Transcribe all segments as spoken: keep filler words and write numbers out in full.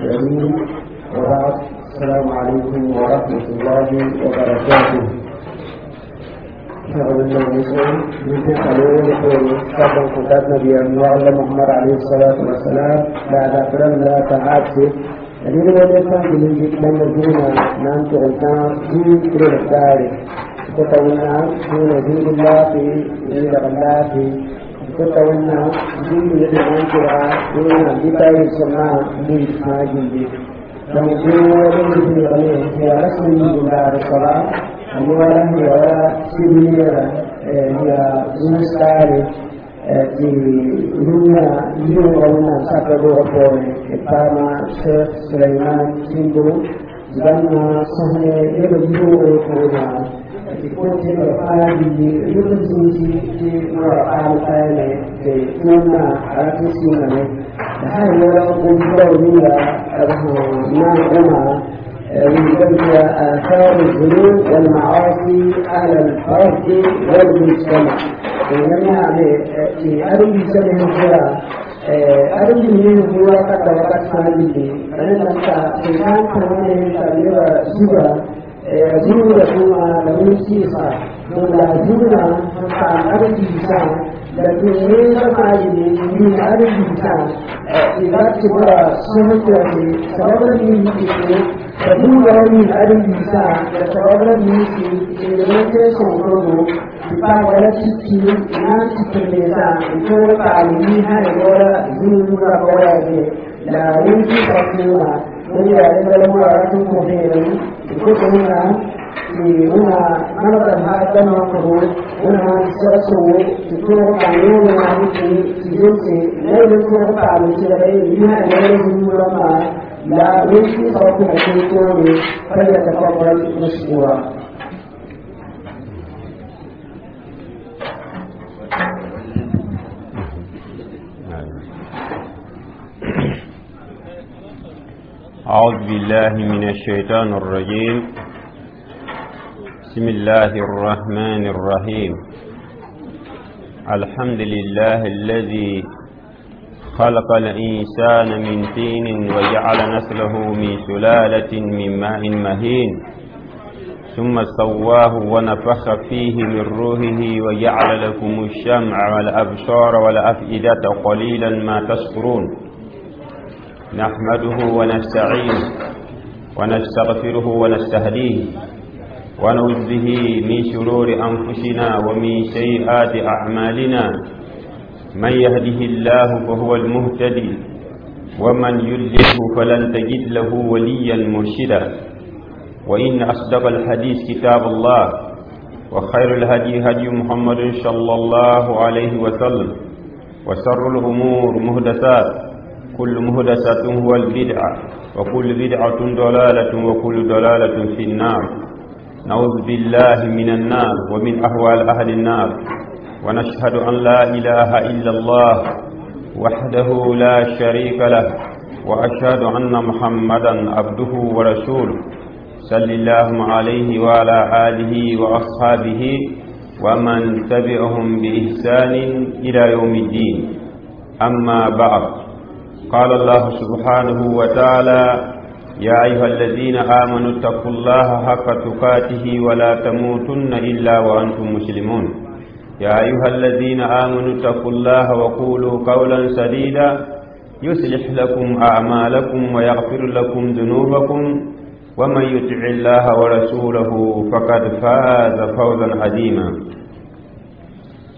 الكريم وبعد السلام عليكم ورحمة الله وبركاته محمد عليه الصلاة والسلام بعد أقرم لا تعاتي الذين وليسان بالإنجيل لما جونا نام تغلطان جيل إلى الدار تطولنا دون دين الله في إلى الله في تطولنا دين يدعون ترعى دون بتاي السماء من ما لو جونا هي رسم من دار الصلاة الموالا هي سبيلة هي زمستاري ti rũndã yʋʋga wẽnnaam sakra doogã poorẽ d paama Cheikh Suleiman Timbo bãmb sõs ne nebã yʋʋgre pʋʋgã tɩ kõt nebã fãa billi rʋd zĩisi tɩ noorã paam paame tɩ tũudmã a rat n sɩngame la sã n yɛla gom-rao ninga b sẽn na n goma آثار الذنوب والمعاصي على الفرد والمجتمع ولما في أرض سنة هو أرض من هو قد وقت فاميلي أنا لم تكن كمان تبلغ زبا زبا ثم لم يسيسا ولا زبا فان أرض إنسان لكن ليس فاعل من أرض إنسان إذا تبرا سنة سبب من فدوba min adam bisa da sababra misi inda songoro pa wala titi na titirlesa ko pa ni ha ne wala zuru ra wala ne la wunti pa kuma wani ya da la mura tun ko ne ko ko na ni una mana da ha da ma ko una saraso ko pa ne na ni ti jinsi ne ne ko pa ni ti da ni ha ne zuru ra ma لا يمكن صوت فليتفضل مشكورا. أعوذ بالله من الشيطان الرجيم. بسم الله الرحمن الرحيم. الحمد لله الذي خلق الإنسان من طين وجعل نسله من سلالة من ماء مهين ثم سواه ونفخ فيه من روحه وجعل لكم الشمع والأبصار والأفئدة قليلا ما تشكرون. نحمده ونستعينه ونستغفره ونستهديه ونعوذ به من شرور أنفسنا ومن سيئات أعمالنا. من يهده الله فهو المهتدي ومن يضلله فلن تجد له وليا مرشدا. وإن أصدق الحديث كتاب الله وخير الهدي هدي محمد صلى الله عليه وسلم وشر الأمور محدثات كل محدثة هو البدعة وكل بدعة ضلالة وكل ضلالة في النار. نعوذ بالله من النار ومن أهوال أهل النار. ونشهد أن لا إله إلا الله وحده لا شريك له وأشهد أن محمدا عبده ورسوله صلى الله عليه وعلى آله وأصحابه ومن تبعهم بإحسان إلى يوم الدين. أما بعد، قال الله سبحانه وتعالى: يا أيها الذين آمنوا اتقوا الله حق تقاته ولا تموتن إلا وأنتم مسلمون. يا أيها الذين آمنوا اتقوا الله وقولوا قولا سديدا يصلح لكم أعمالكم ويغفر لكم ذنوبكم ومن يطع الله ورسوله فقد فاز فوزا عظيما.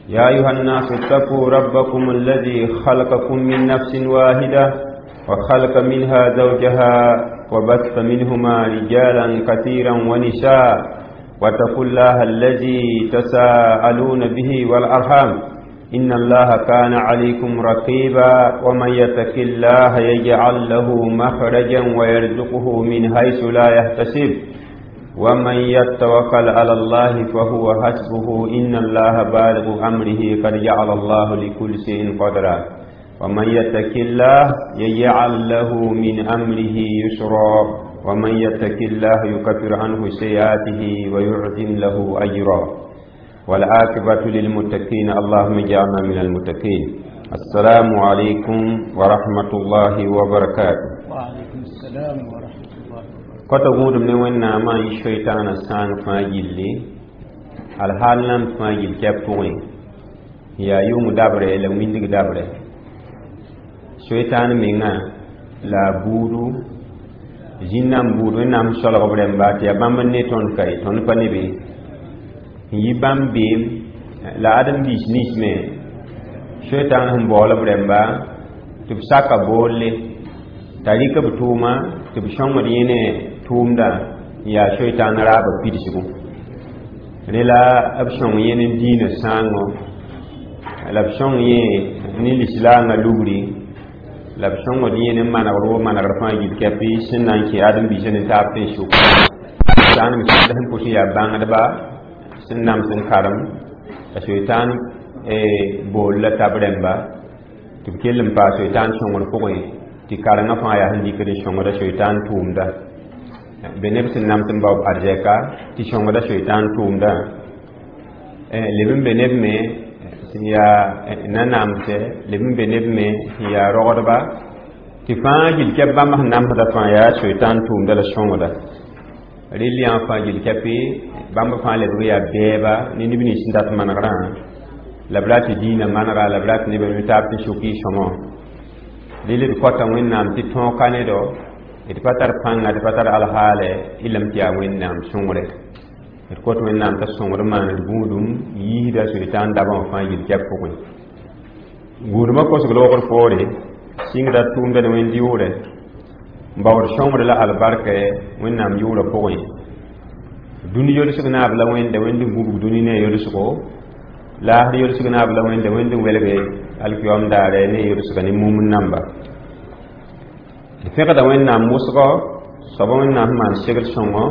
يا أيها الناس اتقوا ربكم الذي خلقكم من نفس واحدة وخلق منها زوجها وبث منهما رجالا كثيرا ونساء واتقوا الله الذي تساءلون به والأرحام إن الله كان عليكم رقيبا. ومن يتق الله يجعل له مخرجا ويرزقه من حيث لا يحتسب ومن يتوكل على الله فهو حسبه إن الله بالغ أمره قد جعل الله لكل شيء قدرا. ومن يتق الله يجعل له من أمره يسرا ومن يتق الله يكفر عنه سيئاته ويعظم له أجرا. والعاقبة للمتقين، اللهم اجعلنا من المتقين. السلام عليكم ورحمة الله وبركاته. وعليكم السلام ورحمة الله وبركاته. Kota gũudum ne Wẽnnaamã n yi soitaanã sãang fãa gilli alhaal nam fãa gill kɛb pʋgẽ yaa yʋng dabrɛ la wĩndg dabrɛ soitaan mengã la a buudu zĩn-nãmb buud Wẽnnaam solg b rẽmba tɩ yaa bãmb n ne tõnd ka ye tõnd pa ne be n yi bãmb beem la ãdem-biis nins me soitaan sẽn baool b rẽmba tɩ b saka boolle t'a rɩk b tʋʋma tɩ b sõngd yẽ ne tʋʋmda n yaa soitaan raabã pidsgu rẽ la b sõng yẽ ne diinã sãango la b sõng yẽ ne lislaangã lubri la b sõngd yẽ ne manegr wo manegr fãa gill kɛpɩ sẽn na n kẽ ãdem-biisã ne taab tẽn sʋk sãan me sẽn sẽn pʋs n yaa bãngdba sẽn nams n karem la soitaan bool la tab rẽmba tɩ b kell n paa soitaan sõngr pʋgẽ tɩ karengã fãa yaa sẽn dɩkd n sõngda soitaan tʋʋmda be neb sẽn nams n bao arzɛka tɩ sõngda soitaan tʋʋmda leb n be neb me sẽn yaa nanamsɛ leb n be neb me sẽn yaa rogdba tɩ fãa gill kɛp bãmb sẽn namsda fãa yaa soitaan tʋʋmda la sõngda rel yã fãa gill kɛpɩ bãmb fãa lebg yaa bɛɛba ne neb nins sẽn dat manegrã la b ra tɩ diinã manega la b ra tɩ nebã taab tɩ sʋk y sõmɔ rel d kõta Wẽnnaam tɩ tõog ka ne do d pa tar pãnga d pa tar alhaalɛ y lame tɩ yaa Wẽnnaam sõngre d kõt Wẽnnaam t'a sõngr maan d gũudum yiisda soitaan dabã wã fãa gill kɛp pʋgẽ gũudmã kosg loogr poore sɩngda tʋʋmda ne wẽnd yʋʋrɛ n baood sõngr la albarka Wẽnnaam yʋʋrã pʋgẽ dũni yolsg naab la Wẽnda Wẽnd n gũbg dũni ne a yolsgo laasr yolsg naab la Wẽnda Wẽnd n welge alkiyoam daare ne yolsga ne mumd namba d fẽgda Wẽnnaam wʋsgɔ soaba Wẽnnaam sẽn maan segl sõngo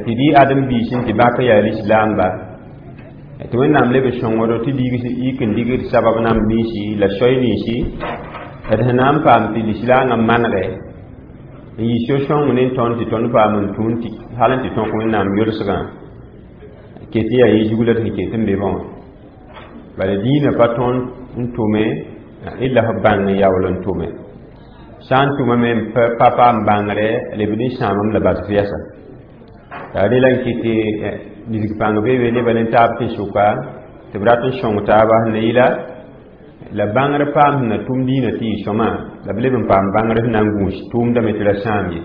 tɩ dɩ ãdem-biis n tɩ bak yaa lislaamba tɩ Wẽnnaam leb sõngdo tɩ yik n digd sabab namb ninsi la soy ninsi d sẽn na n paam tɩ lislaangã manegɛ n yi so-sõng ne tõnd tɩ tõnd paam n tũun tɩ hal n tɩ tõk Wẽnnaam yolsgã ket yaa yẽ zug la d sẽn ket n be bã wã bala diinã pa tõnd n tʋme illa f bãng n yaool n tʋme sã n tʋmame n pa paam bãngre lebd n sãamame la basf yɛsa t'a rela n kɩt tɩ nisg pãng be be nebã ne taab tɩ sʋka tɩ b rat n sõng taaba sẽn na yɩla la bãngr paam sẽn na tʋm diinã tɩ yɩ sõma la b leb n paam bãngr sẽn na n gũus tʋʋmdame tɩ ra sãam ye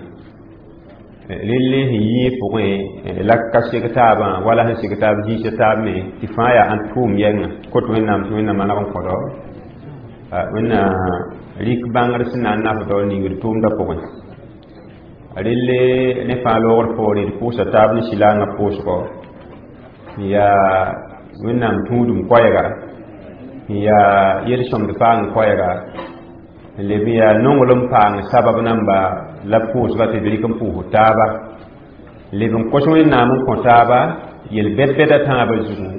relle sẽn yɩ pʋgẽ la ka seg taabã wala sẽn seg taab zĩisa taab me tɩ fãa yaa ãn tʋʋm yɛngã kot Wẽnnaam tɩ Wẽnnaam maneg n kõdo Wẽnna rɩk bãngr sẽn na n nafdɔ ningd tʋʋmdã pʋgẽ relle ne fãa loogr poore d pʋʋsa taab ne sɩlaangã pʋʋsgɔ n yaa Wẽnnaam tũudum koɛɛga n yaa yel-sõmd paang koɛɛga n leb n yaa nonglem paang sabab namba la pʋʋsga tɩ d rɩk n pʋʋs taaba leb n kos Wẽnnaam n kõ taaba yel-bɛd-bɛda tãabã zugu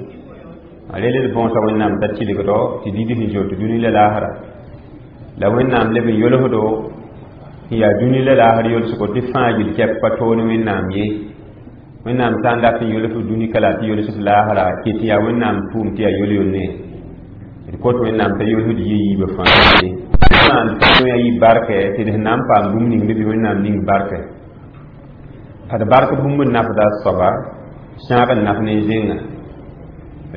a rel d bõosa Wẽnnaam t'a tɩlgdɔ tɩ did sẽn zoet dũni la laasra la Wẽnnaam leb n yolsdo n yaa dũni la laasr yolsgo tɩ fãa gill kɛp pa toon Wẽnnaam ye Wẽnnaam sã n dat n yols dũni ka la tɩ yols laasra ket yaa Wẽnnaam tʋʋm tɩ yaa yol-yolne d kot Wẽnnaam t'a yolsd yɩ yiibã fãa maan ya yɩ barkɛ tɩ d sẽn na n paam bũmb ning bɩ Wẽnnaam ning barkɛ ad bark bũmb n nafda soaba sãag n naf ne zẽnga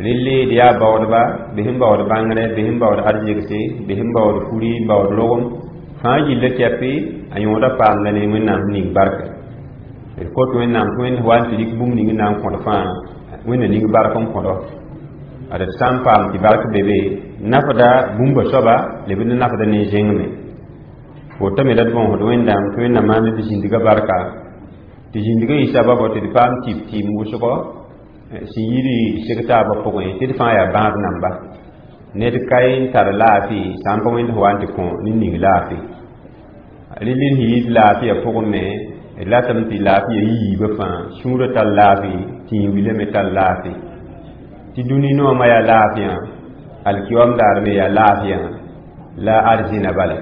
relle d yaa baoodba bɩ sẽn baood bãngrɛ bɩ sẽn baood arzegse bɩ sẽn baood furi n baood rogem fãa gilla kɛpɩ a yõoda paamda ne Wẽnnaam ning barkɛ d kot Wẽnnaam tɩ Wẽnd wa n tɩ rɩk bũmb ning n na n kõd fãa Wẽnna ning bark n kõdɔ ad d sã n paam tɩ bark be be nafda bũmba soaba leb n nafda ne zẽng me wotame la d bõosd Wẽnnaam tɩ Wẽnnaam maan d zĩndga barka tɩ zĩndgã yɩ sababɔ tɩ d paam tɩp tɩɩm wʋsgɔ sẽn yiri seg taabã pʋgẽ tɩ d fãa yaa bãad namba ned ka n tar laafɩ sã n pa Wẽnd sẽn wa n tɩ kõ ne ning laafɩ rel n yɩɩd laafɩya pʋgẽ me d ratame tɩ laafɩya yiibã fãa sũurã tar laafɩ tɩ wilame me tar laafɩ tɩ dũni noomã yaa laafɩyã alkiyoam daar me yaa laafɩyã la arzɩna bala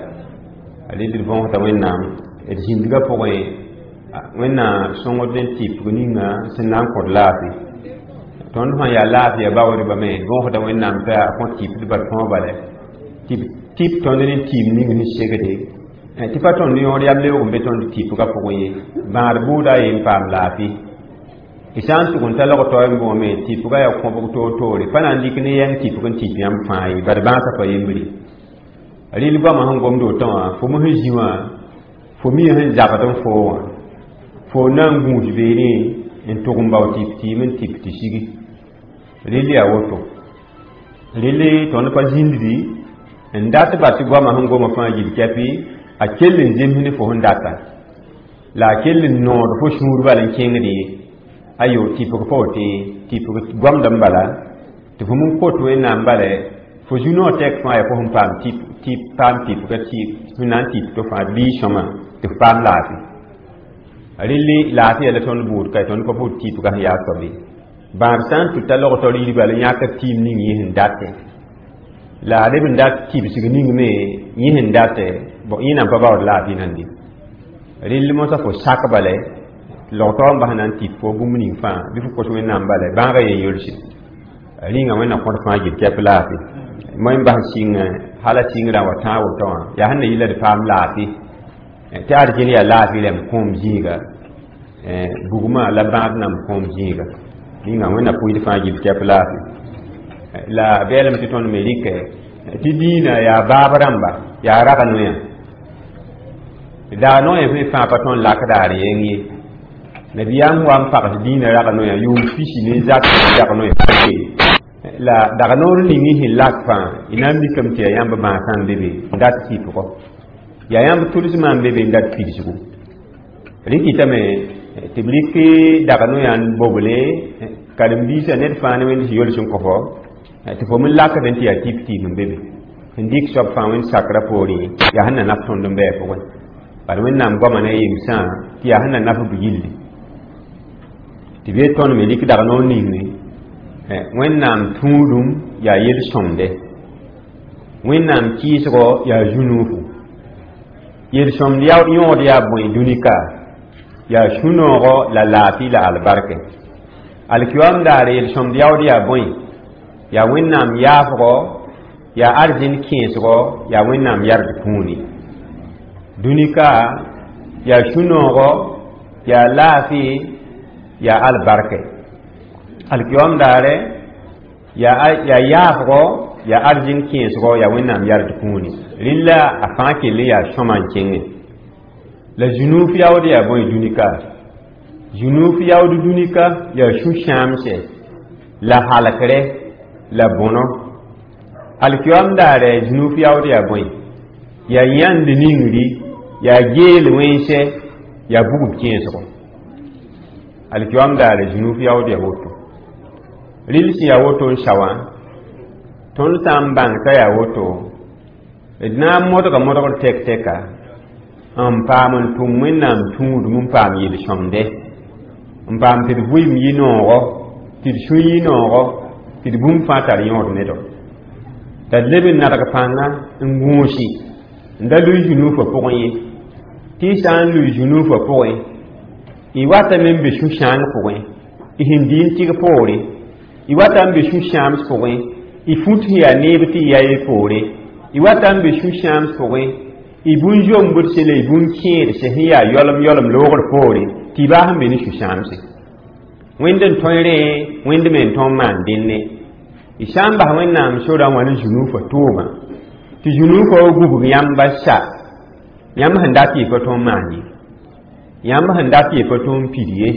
rel d võosda Wẽnnaam d zĩndgã pʋgẽ Wẽnnaam sõngd n tɩpg ninga sẽn na n kõt laafɩ tõnd sã yaa laafɩya baoodba me võosda Wẽnnaam t'a kõ tɩpd bal tõog bala tɩ tɩp tõnd ne tɩɩm ning sẽn segde Tɩ pa tõnd yõod yam leoog n be tõnd tɩpgã pʋgẽ ye bãad bʋʋda a yen paam laafɩ y sã n tʋg n ta log-taoe n bõome tɩpgã yaa kõbg toor-toore pa na n dɩk ne yɛng tɩpg n tɩp yãmb fãa ye bad bãasã pa yembre rɩl goamã sẽn gomd woto wã fo me sẽn zĩ wã fo mi sẽn zagd n foo wã fo na n gũus beene n tʋg n bao tɩp tɩɩm n tɩp tɩ sigi rɩl yaa woto rɩl tõnd pa zĩnddi n dat ba tɩ goamã sẽn goma fãa yil kɛpɩ a kell n zems ne fo sẽn data la a kell n nood fo sũur bal n kẽngd ye ayo tɩpg pa wote tɩpg goamd n bala tɩ fo n kot wẽnnaam bala fo zu-noog tɛk fãa yaa fo sẽn paam tɩp tɩ paam tɩpga tɩ sẽn na n tɩp to fãa bii sõma tɩ f paam laafɩ rɩlli laafɩ yaa la tõnd bʋʋd ka tõnd pa bʋʋd tɩpga sẽn yaa soab ye bãab sã n tʋta log-taoor yir bala yãkd tɩɩm ning yẽ sẽn datẽ la a leb n dat tibsg ning me yẽ sẽn datẽ bon yẽ nan pa baood laafɩ nande rɩll mosã fo sak bala log-taoor n bas na n tɩp fo bũmb ning fãa bɩ fo kos wẽnnaam bala bãagã yen yolse rĩnga wẽnna kõt fãa gil kɛp laafɩ moẽ n bas sɩng hala sɩngrã wa tãag woto wã yaa sẽn na yɩ la d paam laafɩ tɩ arzẽn yaa laafɩ rãmb kõom zĩiga bugmã la bãad nam kõom zĩiga rĩnga wẽnna pʋɩd fãa gil kɛp laafɩ la beelem tɩ tõnd me rɩkɛ tɩ dĩinã yaa baab rãmba yaa rag noyã daa noyã fẽ fãa pa tõnd lakda ar yeng ye nabiyaam wa n pags dĩinã rag noyã yʋʋm pisi ne zak dag noyã la dag noor ning y sẽn lak fãa y na n mikame tɩ yaa yãmb bãasã n be be n dat tɩpgɔ yaa yãmb tʋlsmã n be be n dat pidsgu rẽ kɩtame tɩ b rɩk dag noyã n boble karen-biisã ned fãa ne wẽnd sẽn yols n kõ fo tɩ fo me lakd n tɩ yaa tɩp tɩɩm n be be sẽn dɩk soab fãa wẽnd sakrã poorẽ yaa sẽn na naf tõnd n bɩ a pʋgẽ bala wẽnnaam goamã ne a yemsã tɩ yaa sẽn na naf b yilli tɩ b yet tõnd me rɩk dag noor ninge wẽnnaam tũudum yaa yel-sõmde wẽnnaam kɩɩsgɔ yaa zu-nuufu yel-sõmd yõod yaa bõe dũnika yaa sũ-noogɔ la laafɩ la albarke alkiyoam daare yel-sõmd yaood yaa bõe yaa wẽnnaam yaafgɔ yaa arzẽn kẽesgɔ yaa wẽnnaam yard kũuni dũnika yaa sũ-noogɔ yaa laafɩ yaa albarke alkiyoam daare yaa yaa yaafgɔ yaa arzẽn kẽesgɔ yaa wẽnnaam yard kũuni rɩlla a fãa kell n yaa sõma n kẽngẽ la zũnuuf yaood yaa bõe dũnika zũnuuf yaood dũnika yaa sũ-sãamsɛ la halkre la bõno alkiyoam daare zũnuuf yaood yaa bõe yaa yãnd ningri yaa geel wẽnsɛ yaa bugb kẽesgo alkiyoam daare zũnuuf yaood yaa woto rɩl sẽn yaa woto n sa wã tõnd sã n bãng t'a yaa woto d na n modga modgr tɛk-tɛka n paam n tʋm wẽnnaam tũudum n paam yel-sõmde n paam tɩ d vʋɩɩm yɩ noogɔ tɩ d sũ yɩ noogɔ tɩ d bũmb fãa tar yõod nedɔ t'a d leb n nadg pãnga n gũusi n da lʋɩ zu-nuufã pʋgẽ ye tɩ y sã n lʋɩ zu-nuufã pʋgẽ y watame n be sũ-sãang pʋgẽ y sẽn dɩ n tɩg poore y wata n be sũ-sãams pʋgẽ y fut sẽn yaa neeb tɩ y ya y poore y wata n be sũ-sãams pʋgẽ y bũn-zombdse la y bũn-kẽedse sẽn yaa yɔlem yɔlem loogr poore tɩ y baas n be ne sũ-sãamse wẽnd n tõe rẽ wẽnd me n tõnd maan dẽnne y sã n bas wẽnnaam sorã wã ne zu-nuufã tʋʋmã tɩ zu-nuufã wa gubg yãmba sa yãmb sẽn dat yɩ pa tõnd maan ye yãmb sẽn dat yɩ pa tõnd pid ye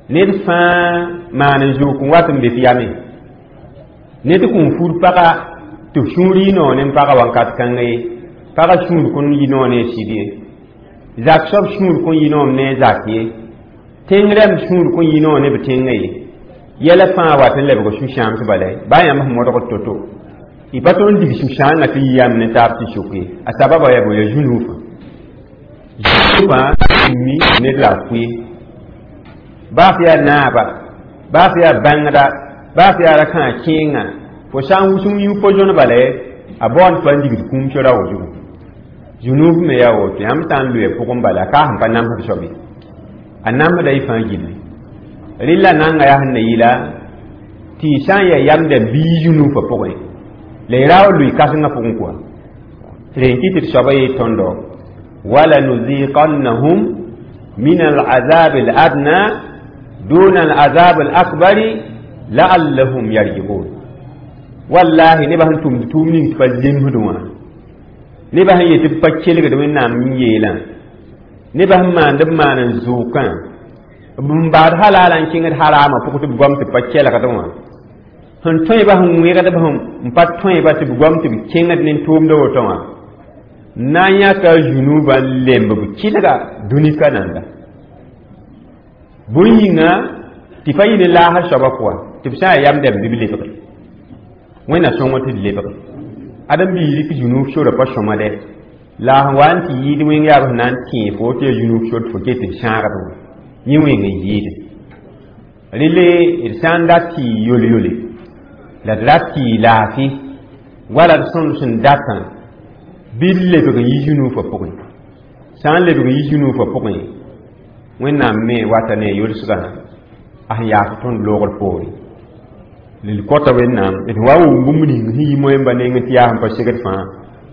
ned fãa maan n zook n wat n be f yame ned kũn fur paga tɩ f sũur yɩ noog ne paga wakat kãnga ye paga sũur kõn yɩ noog ne a sɩd ye zak soab sũur kõn yɩ noom ne a zak ye tẽng rãmb sũur kõn yɩ noog ne b tẽngã ye yɛla fãa wat n lebg sũ-sãams bala baa yãmb sẽn modgd to-to y pa tõnd dig sũ-sãangã tɩ yɩ yãmb ne taab tɩ sʋk ye a sababa yaa bo yaa zu-nuufã zu-nuufã mi ned la a kʋɩ baa f yaa naaba baa f yaa bãngda baa f yaa ra-kãa kẽengã fo sã n wʋsem yũ po-zõn bala a baoond pa n digd kũum sora wo zugu zu-nuuf me yaa woto yãmb sã n lʋɩ pʋgẽ bala a ka sẽn pa namsd soab ye a namsda y fãa gilli rɩlla nanga yaa sẽn na yɩla tɩ y sã n yaa yamda bii zu-nuufã pʋgẽ la y ra wa lʋɩ kãsengã pʋgẽ kɔa rẽ kɩ tɩ d soaba yee tõndo ولنذيقنهم من العذاب الأدنى دون العذاب الأكبر لعلهم يرجعون والله نبا sẽn tʋmd tʋʋm ning tɩ pa zemsd wã nebã sẽn yet tɩ b pa kelgd Wẽnnaam n yeelã nebã sẽn maand b maan n zʋʋkã b n baad halaalã n kẽngd haraamã pʋg tɩ b goam tɩ b pa kelgd wã sẽn tõeba sẽn wẽgd b sẽn pa tõeba tɩ b goam tɩ b kẽngd ne tʋʋmda woto wã na n yãka zũnubã n lemb b kɩlga dũnika nanda bõe yĩnga tɩ pa yɩ ne laasr soabã pʋga tɩ b sã n yaa yam dɛm bɩ b lebge Wẽnna sõngo tɩ d lebge ãdem-biig rɩk zũnub sora pa sõma dɛ la sẽn wa n tɩ yɩɩd wẽng yaa b sẽn na n tẽe fo tɩ yaa zũnub sor tɩ fo ket n sãagd wã yẽ wẽng n yɩɩde rele d sã n dat tɩ yol-yole la d rat tɩ yɩ laafɩ wala d sõnd sẽn datã bɩ d lebg n yi zũnufã pʋgẽ sã n lebg n yi zũnufã pʋgẽ Wẽnnaam me wata ne a yolsgã a sẽn yaas tõnd loogr poore l kõta Wẽnnaam d wa wʋm bũmb ning sẽn yi moẽmba nengẽ tɩ yaa sẽn pa segd fãa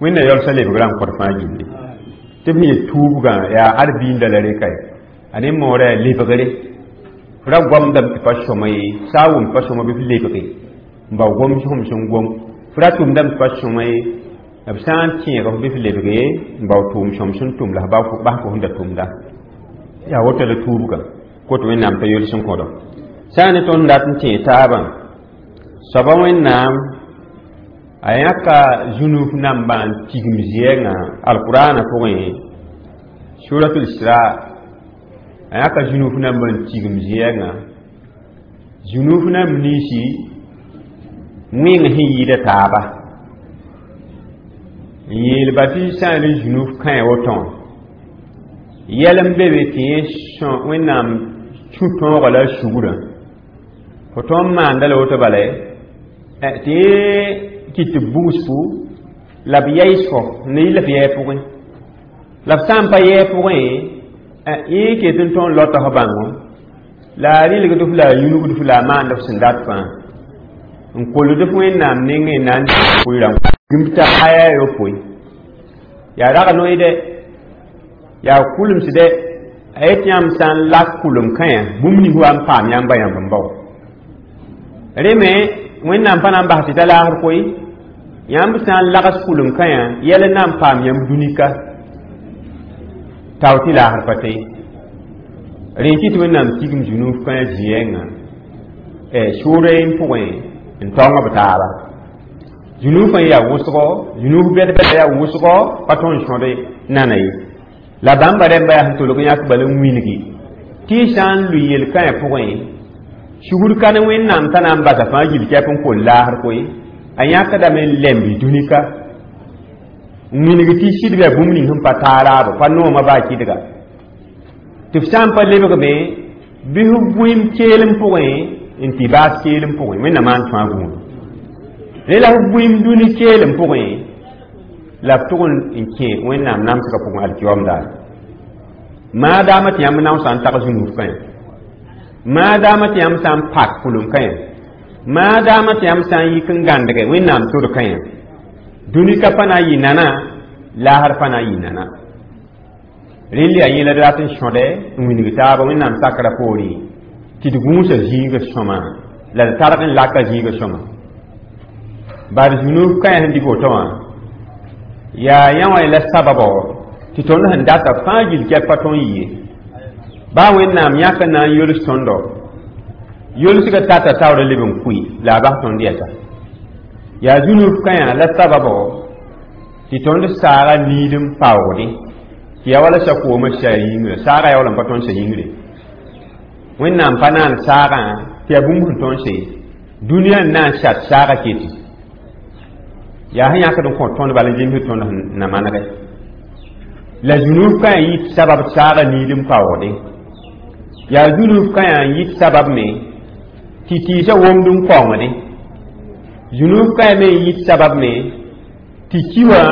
Wẽnna yaoolsã lebgrã n kõt fãa gilli tɩ b sẽn yet tuubgã yaa ad biinda la reka ye a ne moorã yaa lebgre f ra goamdame tɩ pa sõma ye sã a wʋm pa sõma bɩ f lebge n bao gom sẽm sẽn gom f ra tʋmdame tɩ pa sõma ye b sã n tẽeg f bɩ f lebge n bao tʋʋm sõm sẽn tʋm la f bas fo sẽn da tʋmda yaa woto la tuubgã kot Wẽnnaam t'a yols n kõdo sã n ne tõnd dat n tẽeg taabã soaba Wẽnnaam a yãka zũnuf nambã n tigim zɩɛngã alqurana pʋgẽ suratul Isra a yãka zũnuf nambã n tigim zɩɛngã zũnuf namb ninsi wẽng sẽn yɩɩda taaba n yeelba tɩ sã n ne zũnuf kãe woto wã yɛl n be be tɩ yẽ Wẽnnaam sũ tõoga la a sugrã fo tõnd maanda la woto bala tɩ yẽ kɩt tɩ b bugs fo la b yaɩs fo ne yɩ la f yɛɛ pʋgẽ la f sã n pa yɛɛ pʋgẽ yẽ ket n tõnd lota f bãngo la a rɩlgd f la a yũnugd f la a maand f sẽn dat fãa n kolgd f Wẽnnaam nengẽ na n pʋɩ gĩmb t'a aya yopoe yaa rag noy dɛ yaa kulems dɛ a yet yãmb sã n lak kulem kãyã bũmb ning wa n paam yãmba yãmb n bao rẽ me Wẽnnaam pa na n bas tɩ ta laasr koe yãmb sã n lags kulem kãyã yɛl n na n paam yãmb dũnika tao tɩ laasr pa tɛ rẽ kɩ tɩ Wẽnnaam tigim zũnuf kãyã zĩyɛngã sʋʋra n pʋgẽ n taong b taaba zũnufã yaa wʋsgo zũnuf bɛd-bɛda yaa wʋsgo pa tõnd sõd nana ye la bãmba rẽmba yaa sẽn tolg yãk bala n wilgi tɩ y sã n lʋɩ yel-kãyã pʋgẽ sugr ka ne Wẽnnaam t'a na n basa fãa gill kɛp n kol laasr koe a yãkdame n lemb dũnika n wilg tɩ sɩdb yaa bũmb ning sẽn pa taa raabo pa noomã baa kɩdga tɩ f sã n pa lebgme bɩ f bũim keelem pʋgẽ n tɩ baas keelem pʋgẽ Wẽnnaam maan tõa gũud rẽ la f bũim dũni keelem pʋgẽ la b tʋg n kẽ Wẽnnaam namsgã pʋgẽ alkiyoom daare maadaama tɩ yãmb naoosã n tag zũnuf kãyã maadaama tɩ yãmb sã n pak pʋlem kãyã maadaama tɩ yãmb sã n yik n gãndge Wẽnnaam sor kãyã dũnika pa na n yɩ nana laasr pa na n yɩ nana rel yaa yẽla d rat n sõdɛ n wilg taaba Wẽnnaam sakrã poorẽ tɩ d gũusa zĩigã sõma la d targ n laka zĩigã sõma bad zũnuf kãyã sẽn dɩk woto wã yaa yã wã la sababɔ tɩ tõnd sẽn data fãa gill kɛp pa tõnd yɩ ye baa Wẽnnaam yãk n na n yols tõndo yolsgã tata taoor leb n kʋɩ la a bas tõnd yɛsa yaa zũnuf kãyã la sababɔ tɩ tõnd saaga niid n paoogdẽ tɩ yaa wala sa-koomã sa yĩngrã saaga yaa wala n pa tõnd sa yĩngre Wẽnnaam pa naan saagã tɩ yaa bũmb sẽn tõnd se dũniyã n na n sat saaga keti yaa sẽn yãkd n kõ tõnd bala n zems tõnd na manegɛ la zũnuf kãyã yit sabab saaga niid n paoogdẽ yaa zũnuf kãyã n yit sabab me tɩ tɩɩsã womd n kaoongdẽ zũnuf kãyã me n yit sabab me tɩ ki wã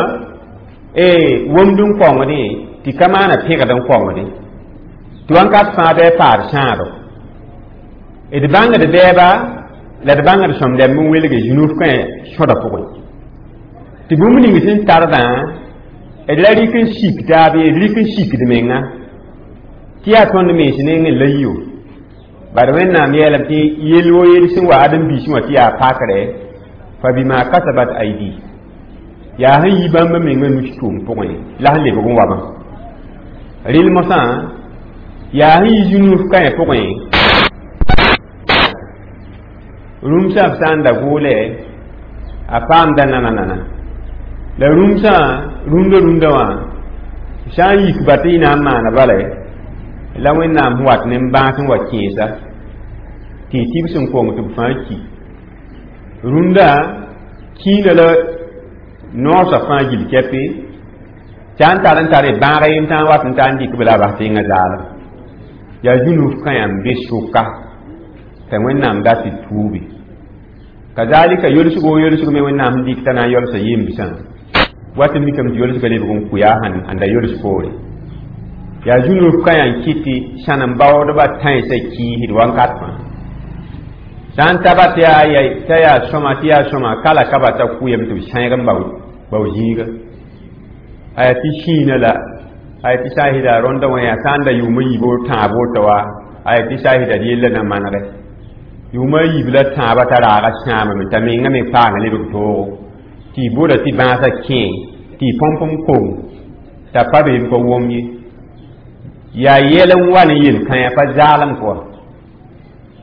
womd n kaoongdẽ tɩ ka maana pẽgd n kaoongdẽ tɩ wãnkat fãa bɩ a paad sãado d bãngd bɛɛba la d bãngd sõm dɛmb n welge zũnuf kãyã sõda pʋgẽ tɩ bũmb ning sẽn tardã D la rɩk n sik taab ye, d rɩk n sikd menga tɩ yaa tõnd mens nengẽ la yo. Bad Wẽnnaam yeelame tɩ yell wo yell sẽn wa ãdem-biisẽ wã tɩ yaa pakrɛ fa bima kasabat aidi, yaa sẽn yi bãmba mengã nus tʋʋm pʋgẽ la sẽn lebg n wabã. Rɩl mosã yaa sẽn yi zũnuuf kãe pʋgẽ rũmsã b sã n da gʋʋlɛ a paamda nana nana la rũmsã rũndã rũndã wã sã n yik ba tɩ y na n maana bala la Wẽnnaam sẽn wat ne bãas n wa kẽesa tɩ y tɩ b sẽn kong tɩ b fãa ki rũndã kĩinã la noosã fãa gill kɛpe t'a n tar n tare bãag yem tã n wat n ta n dɩk b la a bas tẽngã zaalem yaa zũnuf kãyã n be sʋka t'a Wẽnnaam dat tɩ tuubi kazalika yolsgo wo yolsg me Wẽnnaam sẽn dɩk t'a na n yolsa yembsã wat n mikame tɩ yolsga lebg n kʋ yaa sẽn da yols poore yaa zũnuf kãyã n kɩt tɩ sãnem baoodbã tãensã kiisd wankat fãa sã n ta ba tɩ t'a yaa sõma tɩ yaa sõma kala ka ba t'a kʋyame tɩ b sãeeg n bao zĩiga aya tɩ sĩinã la aya tɩ saasɩda rõndã wã yaa sã n da yʋʋma yiib tãab woto wa aya tɩ saasɩda d yella na manegɛ yʋʋma yiib la tãabã t'a raaga sãamame t'a menga me paanga lebg toogo tɩ y bʋda tɩ bãasã kẽ tɩ y põmp n kong t'a pa beem ka wom ye yaa yɛl n wa ne yel-kãyã pa zaalem kɔa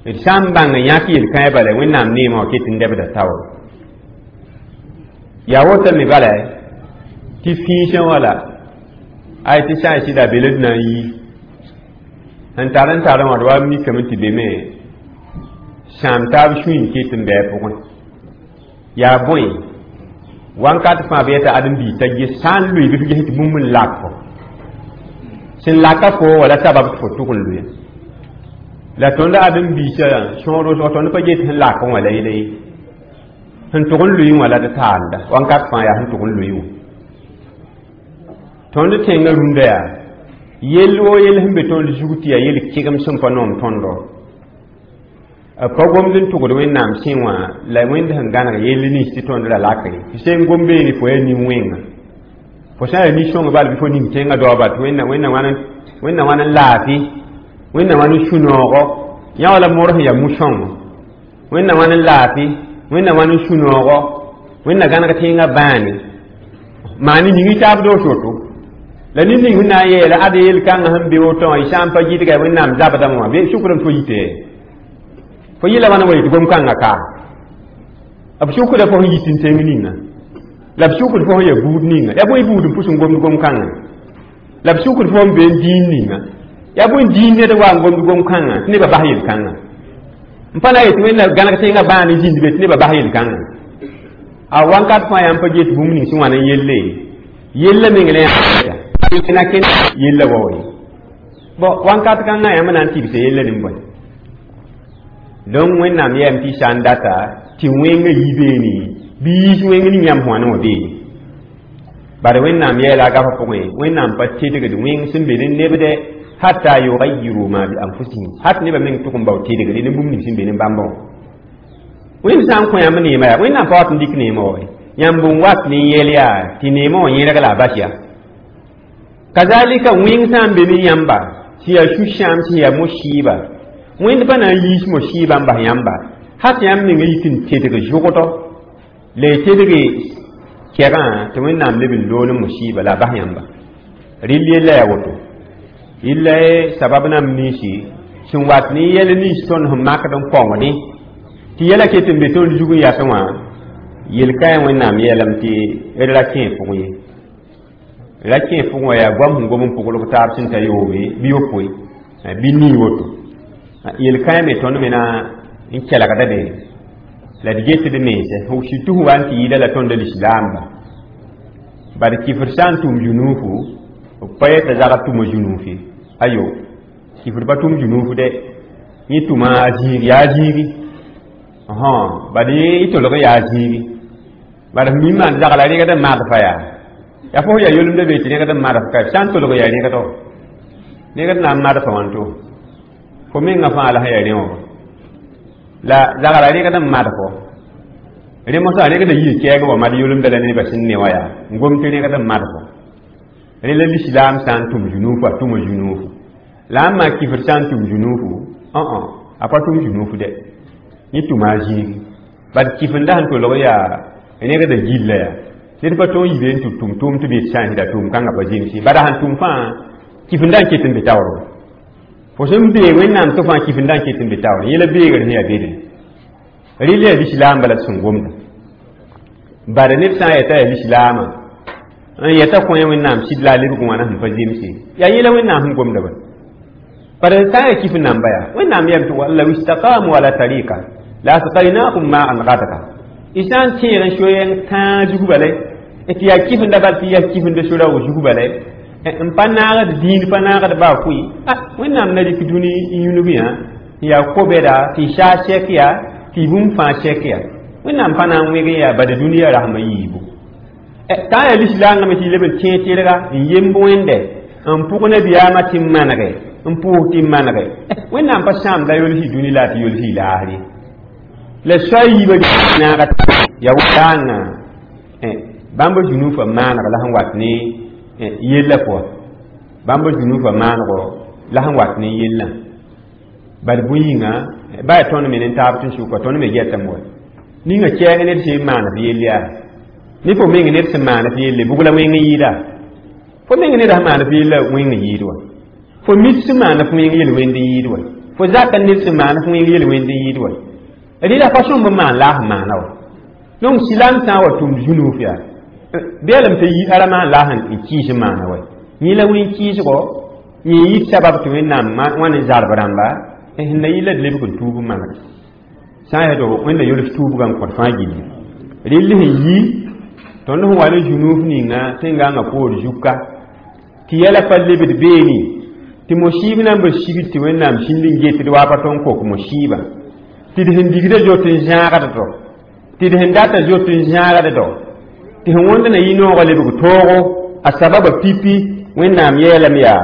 d sã n bãng n yãk yel-kãyã bala Wẽnnaam neemã wã ket n dɛbda taoor yaa woto me bala tɩ fĩisẽ wã la ay tɩ sã n sɩda be la d na n yi sẽn tar n tarẽ wã d wa mikame tɩ be me sãam taab sũy n ket n bɩ a pʋgẽ yaa bõe wankat fãa b yeta ãdem-biig t'a ges sã n loe bɩ f ges tɩ bũmb n lak fo sẽn laka fo wala sabab tɩ fo tʋg n loe la tõnd ãdem-biisã sõor wʋsg tõnd pa get sẽn lak wã la yela ye sẽn tʋg n loe wã la d taanda wankat fãa yaa sẽn tʋg n loe wã tõnd tẽngã rũndã yaa yell wo yell sẽn be tõnd zug tɩ yaa yel kegem sẽn pa noom tõndo pa gomd n tʋgd Wẽnnaam sẽ wã la Wẽnd sẽn gãneg yell nins tɩ tõnd ra lak ye tɩ sẽn gom beene fo yaa nin-wẽnga fo sã n yaa nin-sõng bal bɩ fo ning tẽngã daoba tɩ Wẽnna Wẽnna wãn n laafɩ Wẽnna wãn n sũ-noogo yã wala mor sẽn yaa mu-sõngo Wẽnna wãn n laafɩ Wẽnna wãn n sũ-noogo Wẽnna gãneg tẽngã bãane maan yĩng taab doos woto la ned ning sẽn na n yeela ad yel-kãngã sẽn be woto wã y sã n pa gɩdga Wẽnnaam zabdame wã bɩ sʋkrame tɩ fo yite fo yɩla wãna wa yetɩ gom-kãngã ka b sʋkda fo sẽn yit n tẽng ninga la b sʋkd fo sẽn yaa buud ninga yaa bõe buud n pʋs n gomd gom-kãngã la b sʋkd fo sẽn be n dĩin ninga yaa bõe dĩin ned wa n gomd gom-kãngã tɩ nebã bas yel-kãngã n pa na n yetɩ Wẽnna gãneg tẽngã bãan n zĩnd be tɩ nebã bas yel-kãngã a wankat fãa yaa n pa get bũmb ning sẽn wãn n yelle yella meng la yã na kẽn yella wa wa ye bon wankat kãngã yãmb na n tɩbsa yella nin-bõe donc Wẽnnaam yeelame tɩ sã n data tɩ wẽngã yi beene bɩ yiis wẽng ning yãmb sẽn wa ne wã beene bare Wẽnnaam yeela a gafã pʋgẽ Wẽnnaam pa tedgd wẽng sẽn be ne nebdɛ hatta yugayiru ma bi anfusihim hat nebã meng tʋg n bao tedgre ne bũmb ning sẽn be ne bãmbã wã Wẽnd sã n kõ yãmb neemã yaa Wẽnnaam pa wat n dɩk neemã wa yãmb n wat ne yɛl yaa tɩ neemã wã yẽlg la a bas yaa kazalika wẽng sã n be ne yãmba sẽn yaa sũ-sãam sẽn yaa mosiiba Wẽnd pa na n yiis mosiibã n bas yãmba hat yãmb meng yit n tedg zʋgdɔ la y tedge kɛgã tɩ Wẽnnaam leb n loog ne mosiiba la a bas yãmba rɩl yella yaa woto yella sabab nam ninsi sẽn wat ne yɛl nins tõnd sẽn makd n kõngdẽ tɩ yɛla ket n be tõnd zug n yasẽ wã yel-kãe Wẽnnaam yeelame tɩ d ra kẽ pʋgẽ ye ra kẽ pʋgẽ wã yaa goam sẽn gom n pʋglg taab sẽn ta yoobe bɩ yopoe bɩ nii woto yel-kãe me tõnd me na n kelgda be la d getd mense surtout sẽn wa n tɩ yɩɩda la tõnd lislaamba bad kifr sã n tʋm zunuufu b pa yeta zagd tʋma zunuuf ye ayo kifr pa tʋm zunuuf dɛ yẽ tʋma a zĩig yaa zĩigi bad yẽ tolg yaa zĩigi bad f mi maan zagla rẽgd n madfa yaa yaa fo yaa yolemda be tɩ rẽgd n madf ka sã n tolg yaa rẽgdo rẽgd na n madfa wãnto fo mengã fãa la sẽn yaa rẽ wã la zagla rẽgd n madfo rẽ mosã rẽgda yii kɛɛg wa mad yolemda la nebã sẽn ne wã yaa n gom tɩ rẽgd n madfo Rẽ la lislaam sã n tʋm zunuufu a tʋma zunuufu la a maa kifr sã n tʋm zunuufu õ a pa tʋm zunuufu dɛ yẽ tʋma a zĩigi bad kifenda sẽn tolg yaa rẽgda gilla yaa ned pa tõog yibe n tɩ tʋm tʋʋm tɩ bee sã n sɩda tʋʋm kãngã pa zemse bada sẽn tʋm fãa kifenda n ket n be taoor fo sẽn beeg wẽnnaam tɩ fãa kifenda n ket n be taoor yẽla beegr sẽn yaa bedre rɩl yaa lislaam bala tɩ sẽn gomda bada ned sã n yeta yaa lislaamã n yeta kõ wẽnnaam sɩd la a lebg wãna sẽn pa zemse yaa yẽla wẽnnaam sẽn gomda ba bada sã n yaa kif namba yaa wẽnnaam yam tɩ law istaqamu ala tariqa la asqaynahum ma'an gadaka y sã n tẽeg n soyeng tãag zug bala tɩ yaa kifenda bal tɩ yaa kifenda sora wa zug bala n pa naagd dĩin pa naagd baa fʋɩ a wẽnnaam na rɩk dũni n yũnug yã n yaa ko-bɛda tɩ y saa sɛk yaa tɩ y bũmb fãa sɛk yaa wẽnnaam pa na n wẽg n yaa bada dũniyã rasmã yiibu tã yaa lislaangame tɩ y leb n tẽeg tɩrga n yemb wẽnde n pʋg nabiyaamã tɩ n manege n pʋʋs tɩ n manege wẽnnaam pa sãamda yols y dũni la tɩ yols y laasr ye la soa yiibã naaga ya wãngã bãmb zunuufã maaneg la sẽn wat ne yella pʋga bãmb zunuufã maanego la sẽn wat ne yellã bad bõe yĩnga ba yaa tõnd me ne taab tɩ n sʋka tõnd me gɛtame wa ninga kɛɛng ned sẽn maan f yell yaa ne fo meng ned sẽn maan f yelle bʋg la wẽng n yɩɩda fo meng ned sẽn maan f yella wẽng n yɩɩd wa fo mit sẽn maan f wẽng yel wẽnd n yɩɩd wa fo zaka ned sẽn maan f wẽng yel wẽnd n yɩɩd wa rɩla pa sõmb n maan la a sẽn maana wa donc silam sã n wa tʋmd zunuuf yaa beelem tɩ yi ara maan la a sẽn kɩɩs n maana wa yẽ la wẽn kɩɩsgɔ yẽ yit sabab tɩ wẽnnaam wãn n zarb rãmba sẽn na yɩ la d lebg n tuub n maneg sã n yaa tɩ wẽnna yols tuubgã n kõt fãa gilli rɩll sẽn yi tõnd sẽn wa ne zunuuf ninga tẽn-gãngã poor zuka tɩ yɛla pa lebd beene tɩ mosiib na n ba sigd tɩ wẽnnaam sĩnd n getd waa pa tõnd kok mosiibã tɩ d sẽn digda zoet n zãagd do tɩ d sẽn data zoet n zãagd do tɩ sẽn wõnd na yɩ noogã lebg toogo a sababa pipi wẽnnaam yeelame yaa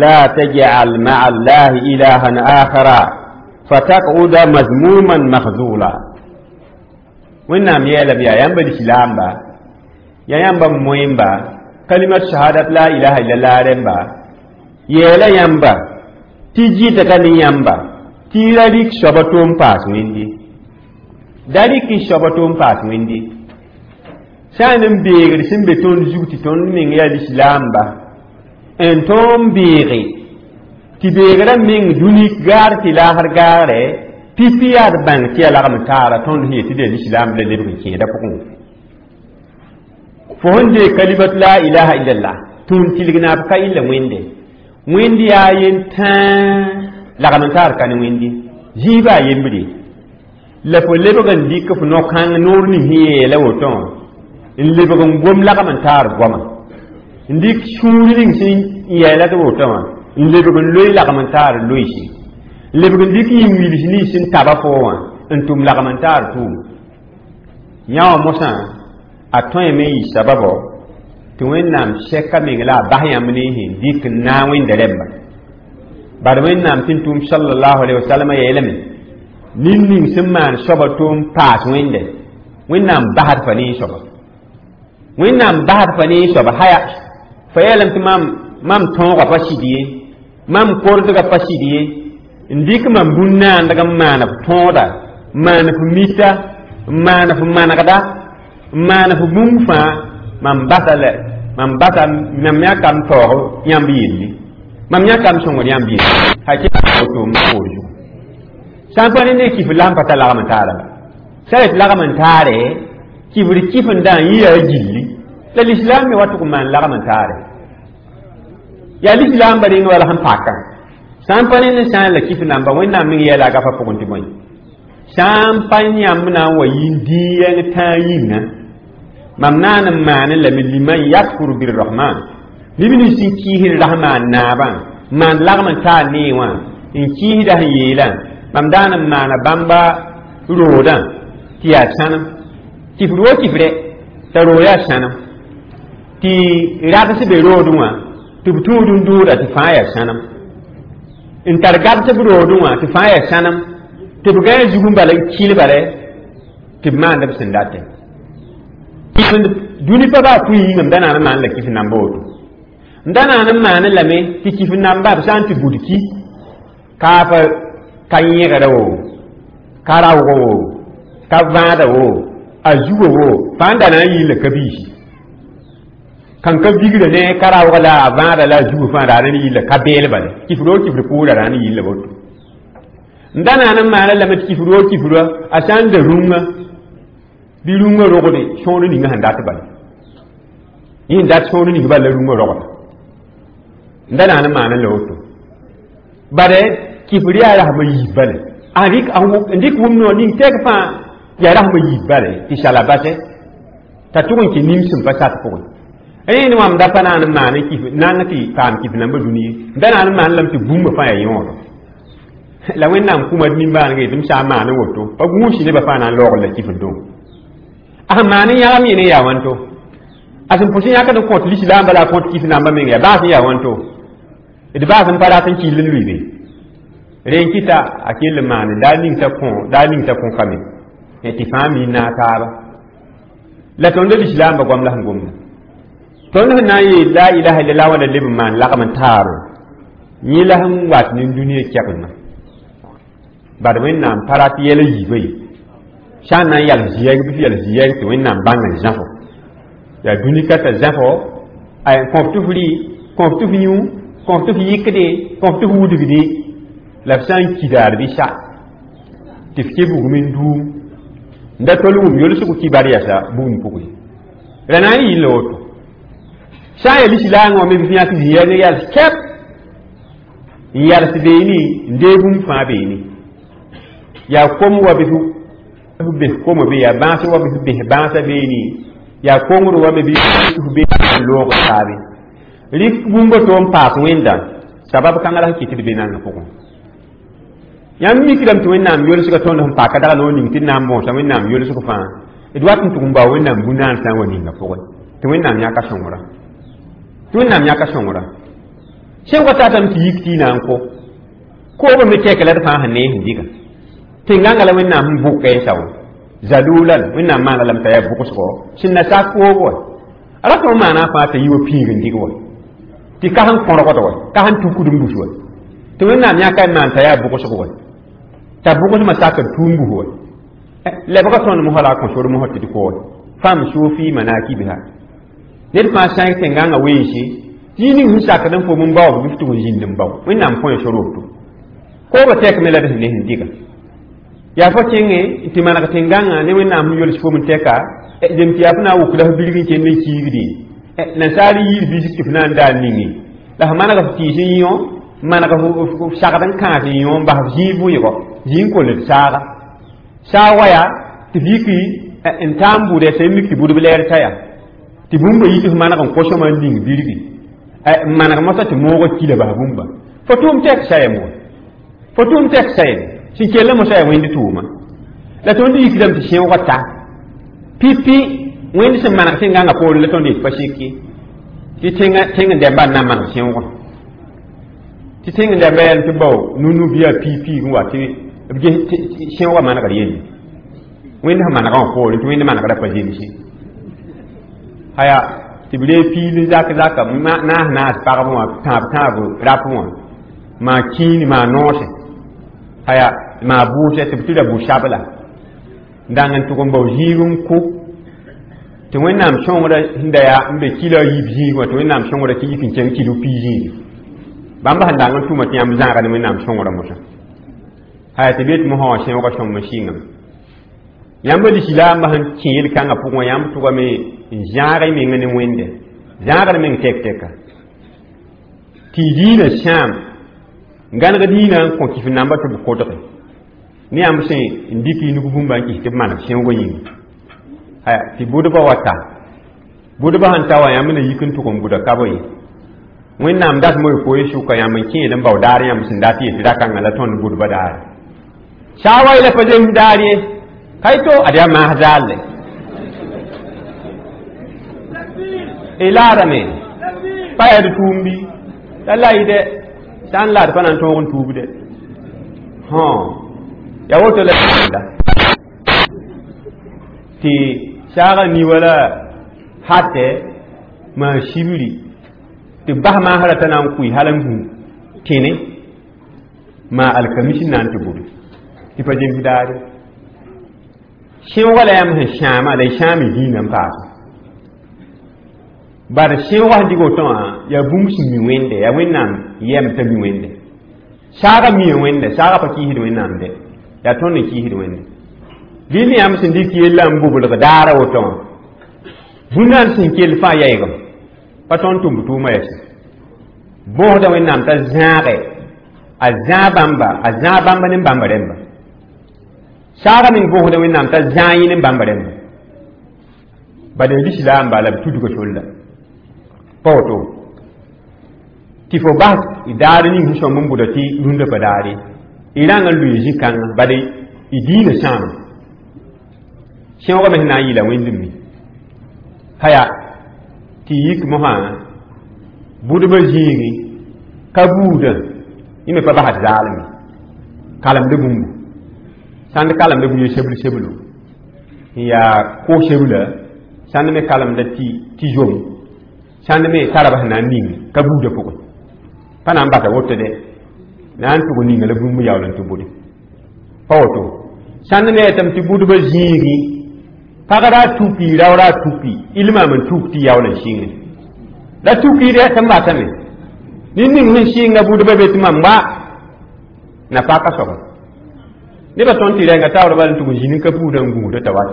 la tajal maa allahi ilahan akhara fatakuda mazmuman makhzula wẽnnaam yeelame yaa yãmba lislaamba yaa yãmba moẽmba kalimat shahadat la ilaha illallah rẽmba yeela yãmba tɩ jɩta ka ne yãmba tɩ y ra rɩk soaba tʋʋm paas wẽnde da rɩk y soaba tʋʋm paas wẽnde sã n n beegd sẽn be tõnd zug tɩ tõnd meng yaa lislaamba n tõog beege tɩ beegrã meng dũni gaar tɩ laasr gaagre pipi yaa d bãng tɩ yaa lagm taara tõnd sẽn yet tɩ d yaa lislaam la lebg n kẽeda pʋgẽ fo sẽn dee kalimat la ilaha illallah tũun tilg naab ka illa wẽnde wẽnd yaa yen tãa lagm n taar ka ne wẽnde zĩiba a yembre la fo lebg n dɩk f no-kãng noor ning sẽn yeela woto wã n lebg n gom lagm n taar goama n dɩk sũur ning sẽn yɛɛla tɩ woto wã n lebg n loe lagm n taar loeese n lebg n dɩk yĩn-wils nins sẽn taba fo wã n tʋm lagm n taar tʋʋm yã wã mosã a tõeme n yɩ sababɔ tɩ wẽnnaam sɛka meng la a bas yãmb ne sẽn dɩk n naag wẽnda rẽmba bad wẽnnaam tɩ n tʋʋm sallallahu alaihi wasallam yeelame nin ning sẽn maan soaba tʋʋm paas wẽnde wẽnnaam basd fa ne soaba wẽnnaam basd fa ne soaba haya fa yeelame tɩ mam mam tõogã pa sɩd ye mam kordgã pa sɩd ye n dɩk mam bũn-naandg n maan f tõoda maan f mita n maan f manegda n maan f bũmb fãa mam basa la mam basa mam yãkam taoog yãmb yelli mam yãkam sõngd yãmb yelli woto m poor zugu sã n pa ne ne kifr la sẽn pa tar lagm n taara ba sã yet lagm n taare kifr kifendã n yɩ yaa gilli la lislaam me wa tʋg n maan lagm n taare yaa lislaam ba rẽnd wala sẽn pakã sã n pa ne ne sã n la kif namba wẽnnaam meng yɛɛla a gafa pʋgẽ tɩ bõe sã n pa yãmb na n wa yɩ n dĩig tãag yĩnga mam naan n maane lame liman yakfur birrahman neb nins sẽn kiisd rahman naabã maan lagm n taar nee wã n kiisda sẽn yeelã mam daan n maana bãmba roodã tɩ yaa sãnem kifr wo kifrɛ t'a roog yaa sãnem tɩ rags be roodẽ wã tɩ b tũud n dʋʋda tɩ fãa yaa sãnem n tar gabs b roodẽ wã tɩ fãa yaa sãnem tɩ b gãe zug n bala n kɩl bala tɩ b maand b sẽn datẽ dũni pa baa pʋɩ yĩngame da naan n maan la kif namba woto N da naan n maane lame tɩ kif namba b sã n tɩ bud ki kaaf ka yẽgda wo ka raoog wo ka vãada wo a zugo wo fãa n da na n yɩɩ la ka-biisi kan ka bigra ne ka raoog la a vãada la a zugo fãa raa n yɩ la ka beel bale kifr o kifr pʋʋra raa n yɩ la woto n da naan n maana lame tɩ kifr o kifra a sã n da rũngã bɩ rũngã rogde sõor ninga sẽn dat bale yẽ n dat sõor ning bal la rũngã rogda n da naan n maana la woto bare kifr yaa rasmã yiib bale a n dɩk wʋm noor ning tɛk fãa yaa rasmã yiib bale tɩ sala basɛ t'a tʋg n kẽ nimsem pa sat pʋgẽ rẽ ne wãmb da pa naan n maan kif nang tɩ paam kif namba dũni ye da naan n maan lame tɩ bũmba fãa yaa yõodo la wẽnnaam kũma d nimbãanega tɩ m sã n maan n woto pa gũusi nebã fãa na n loogr la kifr dong a sẽn maan n yãgam yẽ ne yaa wãnto a sẽn pʋs n yãkd n kõt lislaamba la a kõt kif namba menga yaa baas n yaa wãnto d baas n pa rat n kill n lʋɩ be rẽ n kɩta a kell n maane daa ning t'a kõ daa ning t'a kõkame tɩ fãa mi n naag taaba la tõnd lislaamba goam la sẽn gomda tõnd sẽn na n yeel la ilaha illallah wã la leb n maan lagm n taaro yẽ la sẽn wat ne dũniyã kɛgelmã bad wẽnnaam pa rat yɛl yiibã ye sã n na n yals ziyɛg bɩ f yals ziyɛg tɩ wẽnnaam bãng n zãfo yaa dũni ka t'a zãfo kõf tɩ f rɩ kõf tɩ f yũ kõf tɩ f yɩkde kõf tɩ f wudgde la f sã n kidaar bɩ sa tɩ f ke bugum n duum n da tol wʋm yolsg kibar yasa bugum pʋgẽ ra na n yɩ la woto sã n yaa lislaangã wã me bɩ f yãk ziyɛg n yals kɛp n yals beene n dee bũmb fãa beene yaa kom wa bɩ f bes koma be yaa bãas wa bɩ f bes bãasã beene yaa kongr wa me bɩ f be loog taabe rɩk bũmba to n paas wẽnda sabab kãngã la sẽn kɩt d be nangã pʋgẽ yãmb mikdame tɩ wẽnnaam yolsga tõnd sẽn paka dag noor ning tɩ d na n bõosa wẽnnaam yolsg fãa d wat n tʋg n bao wẽnnaam bũ-naansã n wa ninga pʋgẽ tɩ wẽnnaam yãka sõngra tɩ wẽnnaam yãka sõngra sẽn wa tatame tɩ yik tɩ y na n ko koobã me kɛk la d fãa sẽn nee sẽn dɩga tẽn-gãngã la wẽnnaam sẽn bʋka y sao zalulan wẽnnaam maana lame t'a yaa bʋgsgo sẽn na sak koob wa a ra tõnd maana fãa t'a yi wa piig n dɩg wa tɩ ka sẽn kõrgd wa ka sẽn tukd n bus wa tɩ wẽnnaam yãka n maan t'a yaa bʋgsg wa t'a bʋgsmã sakd tũum bus wa lebga tõnd mosã la a kõ sor mosã tɩ d kood famsu fi manakibiha ned fãa sãeg tẽn-gãngã weense tɩ ning sẽn sakd n fom n bao bɩ f tʋg n zĩnd n bao wẽnnaam kõ sor woto koobã tɛkme la d sẽn ne sẽn dɩga yaa fo kẽngẽ tɩ maneg tẽn-gãngã ne wẽnnaam sẽn yols fom n tɛka zem tɩ yaa f na n wʋk la f bilg n kend n kiigdẽ nansaar yiir bisg tɩ f na n daar ninge la f maneg f tɩɩs n yõ maneg f sagd n kãas n yõ n bas f zĩig vʋɩgɔ zĩig n koll d saaga saag wa yaa tɩ f yiki n taam bʋdɛ sã mik tɩ bʋdb lɛɛr t'a yaa tɩ bũmba yi tɩ f maneg n kosõma n ning birgi n maneg mosã tɩ moogã kila bas bũmba fo tʋʋm tɛk sayem wa fo tʋʋm tɛk sayem sẽn kell mosã yaa wẽnd tʋʋma la tõnd yikdame tɩ sẽoogã ta pipi wẽnd sẽn maneg tẽn-gãngã poorẽ la tõnd yet pa sik ye tɩ tẽng n dɛmba n na n maneg sẽoogã tɩ tẽng n dɛmba yɛlm tɩ bao nu-nu bɩ yaa piig-piig n wa tɩ b ges sẽoogã manegd yelle wẽnd sẽn manegã wã poorẽ tɩ wẽnd manegrã pa zemse aya tɩ b ree piil n zak zaka naas naas pagb wã tãab tãab rap wã maa kĩin maa noose aya maa bʋʋsɛ tɩ b tɩ ra bʋ-sabla n dang n tʋg n bao zĩig n kʋ tɩ wẽnnaam sõngrã sẽn da yaa n be kila a yiib zĩig wã tɩ wẽnnaam sõngrã tɩ yik n kẽng kilo pii zĩigi bãmb sẽn dang n tʋma tɩ yãmb zãaga ne wẽnnaam sõngrã mosã aya tɩ b yet mosã wã sẽoogã sõm n sɩngame yãmb lislaambã sẽn kẽ yel-kãngã pʋgẽ yãmb tʋgame n zãag y meng ne wẽnde zãagd meng tɛk-tɛka tɩ y diinã sãam gãneg diinã n kõ kif namba tɩ b kodge ne yãmb sẽn n dɩk y nug bũmba n kɩs tɩ b maneg sẽoogã yĩnga aya tɩ bʋdbã wa ta bʋdbã sẽn ta wã yãmb na yik n tʋg n bʋda ka ye wẽnnaam datmo y koe sʋka yãmb n kẽed n bao daar yãmb sẽn dat yet ra-kãngã la tõnd bʋdbã daare saa wa la pa zems daar ye ka to ad yaa maas zaalle y laadame pa yaa d tʋʋm bɩ la la yɩ dɛ sã n laad pa na n tõog n tuubde hõ yaa woto la tɩ saagã ni wala hatɛ maa sibri tɩ tɩ bas maasrã t'a na n kʋɩ hal n gũ tẽne maa alkamisi na n tɩ bʋde tɩ pa zems daare sẽoogã la yãmb sẽn sãama la y sãam y dĩinã n paase bad sẽoogã sẽn dɩg woto wã yaa bũmb sẽn mi wẽnde yaa wẽnnaam yɛm t'a mi wẽnde saagã mia wẽnde saagã pa kiisd wẽnnaam de yaa tõnd n kiisd wẽnde rɩl yãmb sẽn dɩk yellã n bublg daara woto wã bũnaan sẽn kell fãa yaɩgem pa tõnd tʋm tʋʋmã yɛsẽ bõosda wẽnnaam t'a zãage a zãa bãmba a zãa bãmba ne bãmba rẽmba saagã meng bõosda wẽnnaam t'a zãa yẽ ne bãmba rẽmba bad n lislaam bala b tudga solla pa woto tɩ fo bas daar ning sẽn sõmb n bʋda tɩ rũndã pa daare y rãng n lʋɩ zĩ-kãngã bad y diinã sãama sẽoogã me sẽn na n yɩla wẽnd mi haya tɩ yik mosã bʋdbã zĩigi ka buudã yẽ me pa basd zaalme kalemd bũmbu sãnd kalemda bũ ye sebl seblo n yaa ko-sebla sãnd me kalemda tɩ tɩ zom sãnd me tara b sẽn na n ning ka buudã pʋgẽ pa na n basa woto de na n tʋg ninga la bũmb yaool n tɩ bʋde pa woto sãnd me yetame tɩ bʋdbã zĩigi pag ra tuki rao ra tuki ilmaam n tuk tɩ yaool n sɩnge la tukiid yaa tɩ n batame ned ning sẽn sɩnga bʋdbã be tɩ mam gba na paka soaba nebã tõnd tɩ rɛnga taoor bal n tʋg n zĩnd n ka buudã n gũudã t'a wat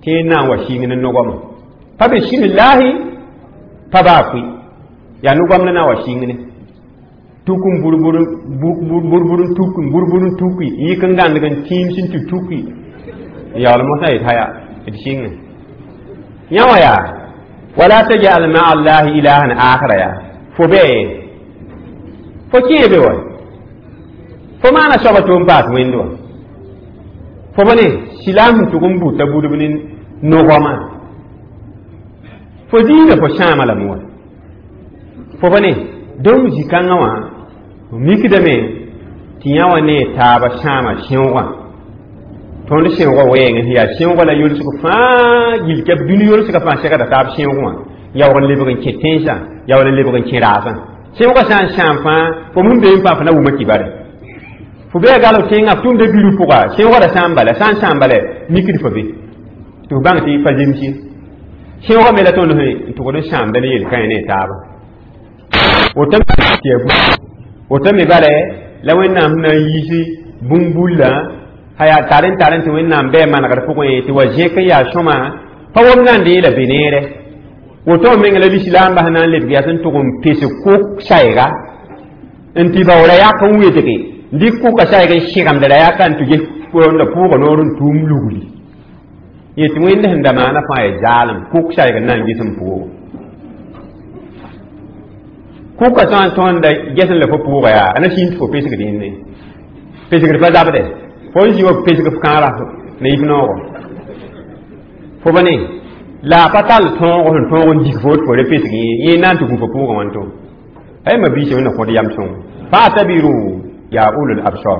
tẽed na n wa sɩng ne nogame pa bismillahi pa baa pʋɩ yaa nogam la na wa sɩng ne tuk n burbur burbur n tuk n burbur n tuki n yik n gãndg n tĩim sẽn tɩ tuki n yaool mosã yet haya d sɩnge yã wã yaa wala tajal maa allahi ilahan akhara yaa fo bee fo kẽe be wa fo maana soaba tɩ n paas wẽnd wã fo ba ne silaam sẽn tʋg n buta budb ne nogama fo diinã fo sãama lame wa fo ba ne dõmb zĩ-kãngã wã mikdame tɩ yã wã ne taaba sãama sẽoogã tõnd sẽoogã wɛɛngẽ sẽn yaa sẽoogã la yolsg fãa gil kɛp dũni yolsgã fãa segda taab sẽoog wã yaoog n lebg n kẽ tẽnsã yaool n lebg n kẽ raasã sẽoogã sã n sãam fãa fo mun bee n fãa fo na wʋma kibare fo bee gal f tẽngã f tʋmda biru pʋga sẽoogã ra sã n bala sã n sãam bala mikd fo be tɩ f bãng tɩ pa zems ye sẽoogã me la tõnd sẽn tʋgd n sãamda ne yel-kãe ne taaba woto me bala la wẽnnaam sẽn na n yiisi bũmb-bullã haya tar n tar n tɩ wẽnnaam bɩ manegd pʋgẽ tɩ wa zẽk n yaa sõma pa wom na n dee la be neere woto meng la lislaambã sẽn na n lebg yaa sẽn tʋg n pes kʋk sayga n tɩ baoora yak n wedge n dɩk kʋka sayg n sɩgemd ra yaka n tɩ ges la pʋʋga noor n tʋʋm lugli yetɩ wẽnd sẽn da maana fãa yaa zaalem kʋk sayg n na n ges n pʋʋgo kʋka sã n tõenda ges n la fo pʋʋga yaa a na sĩnd tɩ fo pesgd yẽnde pesgd pa zabde fo n zĩ wa pesg f kãara ne yif noogo fo ba ne la a pa tall tõogo sẽn tõog n dig fo tɩ fo re pesg yẽ yẽ na n tɩ gũ fo pʋʋgã wãnto ay ma biisã wẽnna kõd yam sõngo fa'tabiru ya ulul absar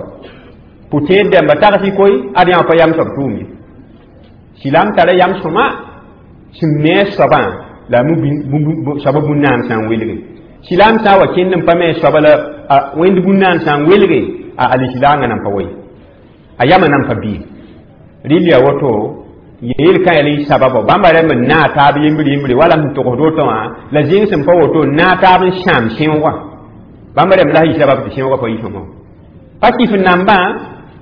pʋ-tẽed dãmba tags koy ad yã pa yam soab tʋʋm ye silam tara yam sõma sẽn me a soabã la a soaba bũn-naam sã n welge silam sã n wa kẽnd n pa me soaba la wẽnd bũn-naam sã n welge a alislaangã nan pa wa ye a yamã nan pa bɩ rɩl yaa woto yel-kã yaa la y sababa bãmba rẽmb n naa taab yembre yembre wala sẽn togsd woto wã la zẽng sẽn pa woto n naa taab n sãam sẽoogã bãmba rẽmb la y sabab tɩ sẽoogã pa yisõmã pa kɩf nambã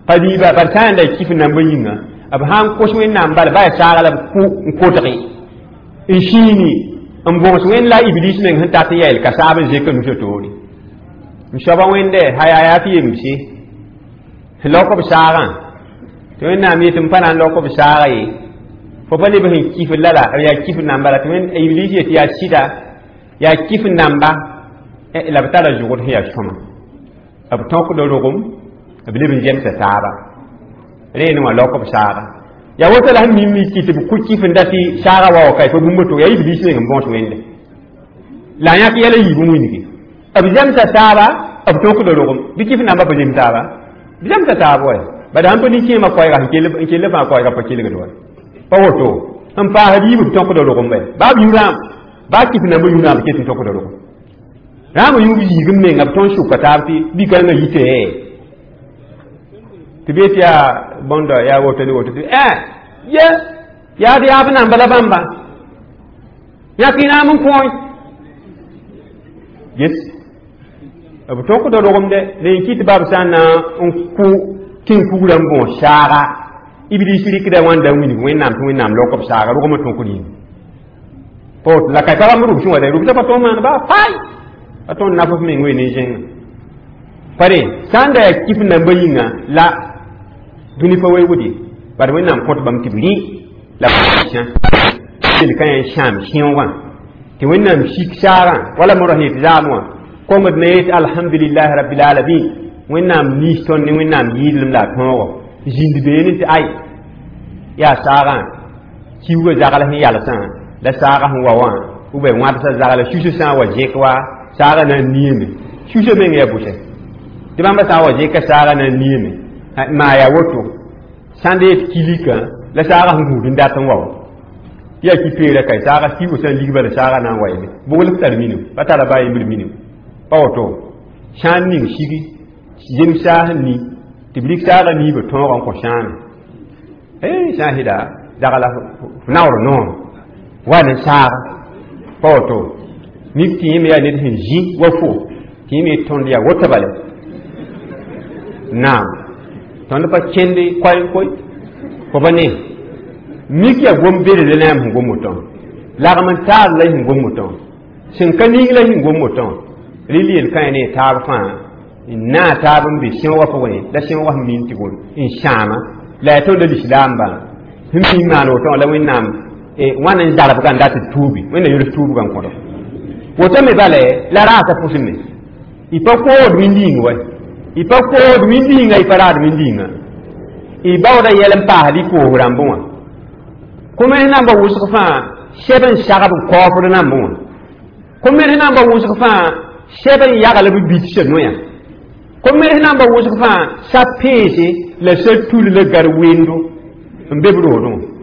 pa liiba bad sã n da kɩf nambã yĩnga b sã n kos wẽnnaam bala ba yaa saaga la b kʋ n kotge n sĩini n bõgs wẽnd la iblis meng sẽn tat n yaa ka saab n zek nusã toore n soaba wẽnde haya yaa tɩ yemse lok b saagã tɩ wẽnnaam yetɩ m pa na n lok b saaga ye fo pa leb sẽn kɩf lala yaa kɩf namba la tɩ wẽnd iblis yetɩ yaa sɩda yaa kɩf namba la b tara zʋgd sẽn yaa sõma b tõkda rogem b leb n zemsa taaba reene wã lok b saaga yaa woto la sẽn mim tɩ b kʋ kɩf n da tɩ saaga wa wa ka fo bũmb to yaa iblis meng n bõos wẽnde la a yãk yɛla yiib n wilgi b zemsa taaba b tõkda rogem bɩ kɩf namba pa zem taaba b zemsa taab wa bad sãn pa nin-kẽemã koɛɛga n kell fãa koɛɛga pa kelgd wa pa woto n paasd yiib b tõkda rogem bɩ baa b yũ rãam Baa kɩf nambã yũnã b ket n tokda rogo rãambã yũub yiigm menga b tõnd sʋka taab tɩ bi-kãngã yite tɩ bee tɩ yaa bõnda yaa woto ne woto tɩ ye yaa d yaab namba la bãmba yãk y naam n kõe yes b tokda rogomde la yẽ kɩ tɩ bab sã n na n kʋ tẽn-kugrã n bõos saaga iblis rɩkda wãnda n wilg wẽnnaam tɩ wẽnnaam lok b saaga rogmã tõkd yĩng pot la ka pa bãmb rʋbsẽ wa dɛ rʋbsã pa tõnd maan baa fay pa tõnd naf f meng wee ne zẽngã pare sã n da yaa kɩf nambã yĩnga la dũni pa weoogd ye bad wẽnnaam kõt bãmb tɩ b rɩ la yel-kã yã sãam sẽoogã tɩ wẽnnaam sik saagã wala mo ra sẽn yet zaam wã kongd na yet alhamdulillahi rabbil alamin wẽnnaam niis tõnd ne wẽnnaam yɩɩdlem la a tõogo zĩnd beene tɩ ay yaa saagã kiuugã zagl sẽn yalsã la saaga sẽn wa wã ou bien wãbsã zagla susã sã n wa zẽk wa saagã na n niame susã meng yaa bʋsɛ tɩ bãmba sã n wa zẽka saagã na n niame maa yaa woto sãn da yet kilika la saaga sẽn gũud n dat n wa wa tɩ yaa ki-peera ka saaga kiuugã sã n ligba la saaga na n wa yeme bogl f tar minim pa tara baa yembr minim pa woto sã n ning sigi zem saas n ni tɩ b rɩk saagã niibã tõogã n kõ sãame sã n sɩda zagla f naoor noor wa ne saaga pa woto mik tɩ yẽme yaa ned sẽn zĩ wa fo tɩ yẽme tõnd yaa woto bale naam tõnd pa kẽnde koɛɛ koe fo pa ne mik yaa gom bedre la yãmb sẽn gom wotõ lagm n taar la y sẽn gom wotõ sẽn ka ning la y sẽn gom wotõ rɩl yel-kã ne taab fãa n naa taab n be sẽoogã pʋgẽ la sẽoogã sẽn min tɩ gol n sãama la yaa tõnd lislaambã sẽn mi maan wotõ la wẽnnaam wãn n zarbgã n dat d tuubi wẽnna yols tuubgã n kõdo woto me bala la raasa pʋsẽ me y pa kood wĩnd-yĩng wa y pa kood wĩnd-yĩnga y pa raad wĩnd-yĩnga y baooda yɛl n paasd y koos rãmbẽ wã kõ-mens namba wʋsg fãa sɛb n sagb n kaoofd nambẽ wã kõ-mens namba wʋsg fãa sɛb n yagl b bitsã noyã kõ-mens namba wʋsg fãa sa peese la sa tul la gar wendo n be b roodẽ wã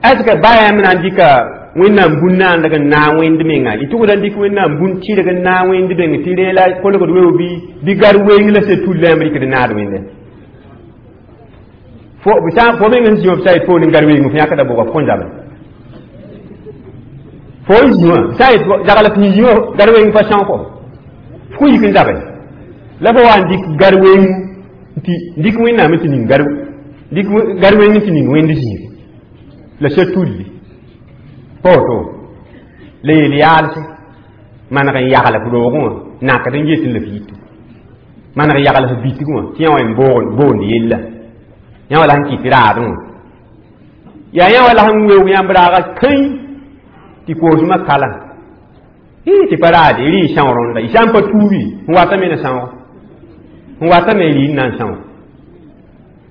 est ce que ba yãmb na n dɩka wẽnnaam bũn naandg n naag wẽnd menga y tʋgda n dɩk wẽnnaam bũn tɩrg n naag wẽnd meng tɩ rẽ la kolgd weo bɩ bɩ gar weng la sa tul la yãmb rɩkd naad wẽnde fo fo meng sẽn zĩ wã b sa yet poor n gar weng f yãkda bʋga f kõn zabe fo n zĩ wã sã yet zagl f zĩ wã gar weng pa são fo f kõ yik n zabe la fo wa n dɩk gar weng tɩ dɩk wẽnnaam tɩ ning gar dɩk gar weng tɩ ning wẽnd zĩig la sa tulli pa woto la yel yaalse maneg n yagl f roogẽ wã nakd n yetẽ la f yito maneg yagl f bitg wã tɩ yã wã n boond yella yã wã la sẽn kɩt raadẽ wã yaa yã wã la sẽn weoog yãmb raaga kãĩ tɩ koosmã kala tɩ pa raade rɩ y são rõnda y sã n pa tuubi n watame na sãooga n watame rɩ n na n são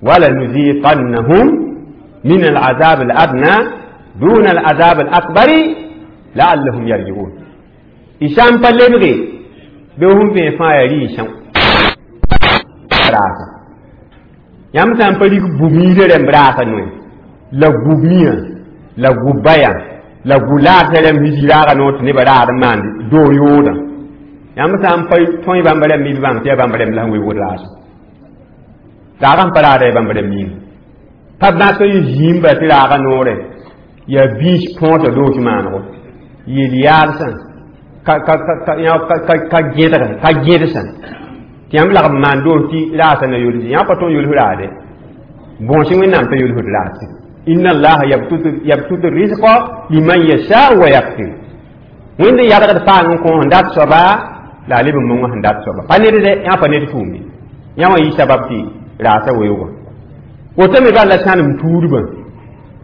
wala nuziqannahum من العذاب الأدنى دون العذاب الأكبر لعلهم يرجعون إشام فلبغي بهم في فايري إشام راسا yãmb sã n pa rig bu-miirã rãmb raasa noe la gu-miã la gu-baya la gu-laasã rãmb sẽn zĩ raaga noor tɩ nebã raad n maand doog yoodã yãmb sã n pa tõe bãmb rãmb b bãng tɩ yaa bãmb rãmb la sẽn weoogd raasã raagã sẽn pa raada yaa bãmb rãmb yĩnga pa bãk n zĩimba tɩ raaga noorɛ yaa biis põosã doos maanego yel yaalsã ka gẽdg ka gẽdsã tɩ yãmb lagm maan doos tɩ raasã na yols yã pa tõnd yols raade bõos wẽnnaam t'a yolsd raase inna allaha yabsutu rizqa liman yasha wa yaqdir wẽnd n yadgd paang n kõ sẽn dat soaba la a leb n mong sẽn dat soaba pa ned dɛ yã pa ned tʋʋmde yã wã yɩ sabab tɩ raasã weoogã woto me bal la sãnem tuudbã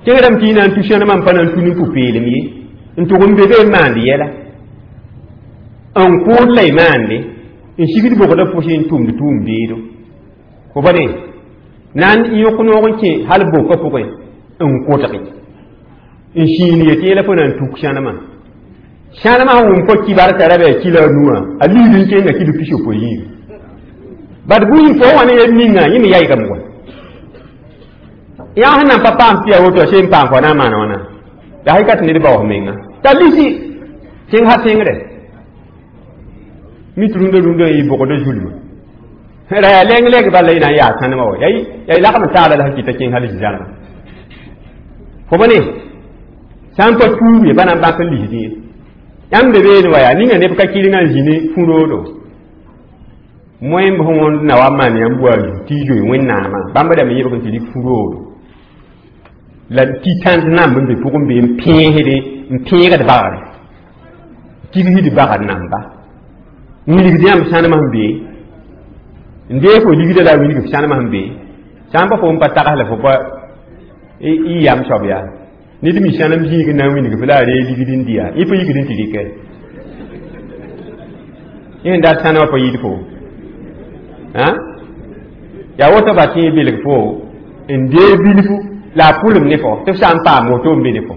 kẽngdame tɩ y na n tu sẽnemã n pa na n tu ne pʋ-peelem ye n tʋg n be be n maand yɛla n kʋʋd la y maande n sigd bogda pʋsẽ n tʋmd tʋʋm beedo fo pa ne na n yõk noog n kẽ hal bokã pʋgẽ n kʋtge n sĩin yetɩ yẽla fo na n tuk sãnemã sãnemã sẽn wʋm fo kibarka ra bɩ a kila a nuwã a liid n kenga kilo pis-yopoe yĩnga bad buyi fo wã ne yel ninga yẽ me yaygame wa yã sẽn nan pa paam tɩ yaa woto a seen paam fo na n maana wãna La hakikat ned bao menga t'a lisi kẽng ha tẽngre mit rũndã rũndã n yɩ bogda zulma ra yaa leng leng bala y na n yaa sãnema wa yaa y lagm taala la sẽn kɩta kẽng hal zãlma fo ba ne sã n pa tuub ye pa na n bãk n lisdẽ ye yãmb be beene wa yaa ninga neb ka kɩrengã n zĩ ne fũ-roodo moẽmb sẽn wõnd na wa maan yãmb wa tɩ y zoe wẽnnaamã bãmb rãmb yẽbg n tɩ rɩk fũ-roodo la tɩ tãnd namb n be pʋgẽ be n pẽesde n pẽegd bagre tigsd bagr namba wilgd yãmb sãnemã sẽn be n deeg fo ligda la a wilg f sãnemã sẽn be sã n pa fo n pa tags la fo pa y yam soab yaa ned mi sãnem zĩig n na n wilg f la a ree ligd n dɩ yaa yẽ pa yikd n tɩ rɩkɛ yẽ sẽn dat sãnemã pa yɩd fo yaa woto ba tɩ belg fo n dee bilfu la a pʋlem ne fo tɩ f sã n paam woto n be ne fo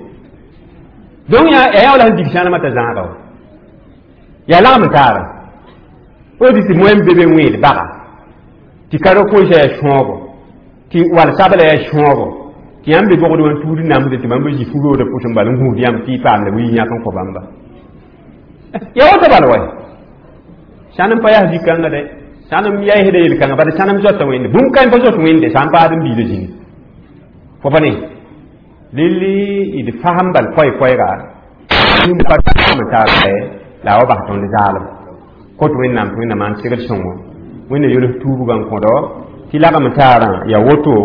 donc yaa yaa wala sẽn dig sãnemã t'a zãaga wa yaa lagm taara fo dɩ tɩ moẽm be be wẽed baga tɩ karo-koosã yaa sõogo tɩ wal sabla yaa sõogo tɩ yãmb be bogd wã tuud namsde tɩ bãmb zĩ fu-roodã pʋsẽ bal n gũud yãmb tɩ y paam la wi yãk n kõ bãmba yaa woto bal wa sãnem pa yaa zĩ-kãnga dɛ sãnem yaɩsda yel-kãngã bala sãnem zoata wẽnde bũmb kãe pa zot wẽnde sã n paad n biila zĩni fo pa ne lelli d fasem bal koɛ-koɛɛga pa taar la a wa bas tõnd zaalem kot wẽnnaam tɩ wẽnnaam maan segd sõngo wẽnna yols tuubgã n kõdo tɩ lagm taarã yaa woto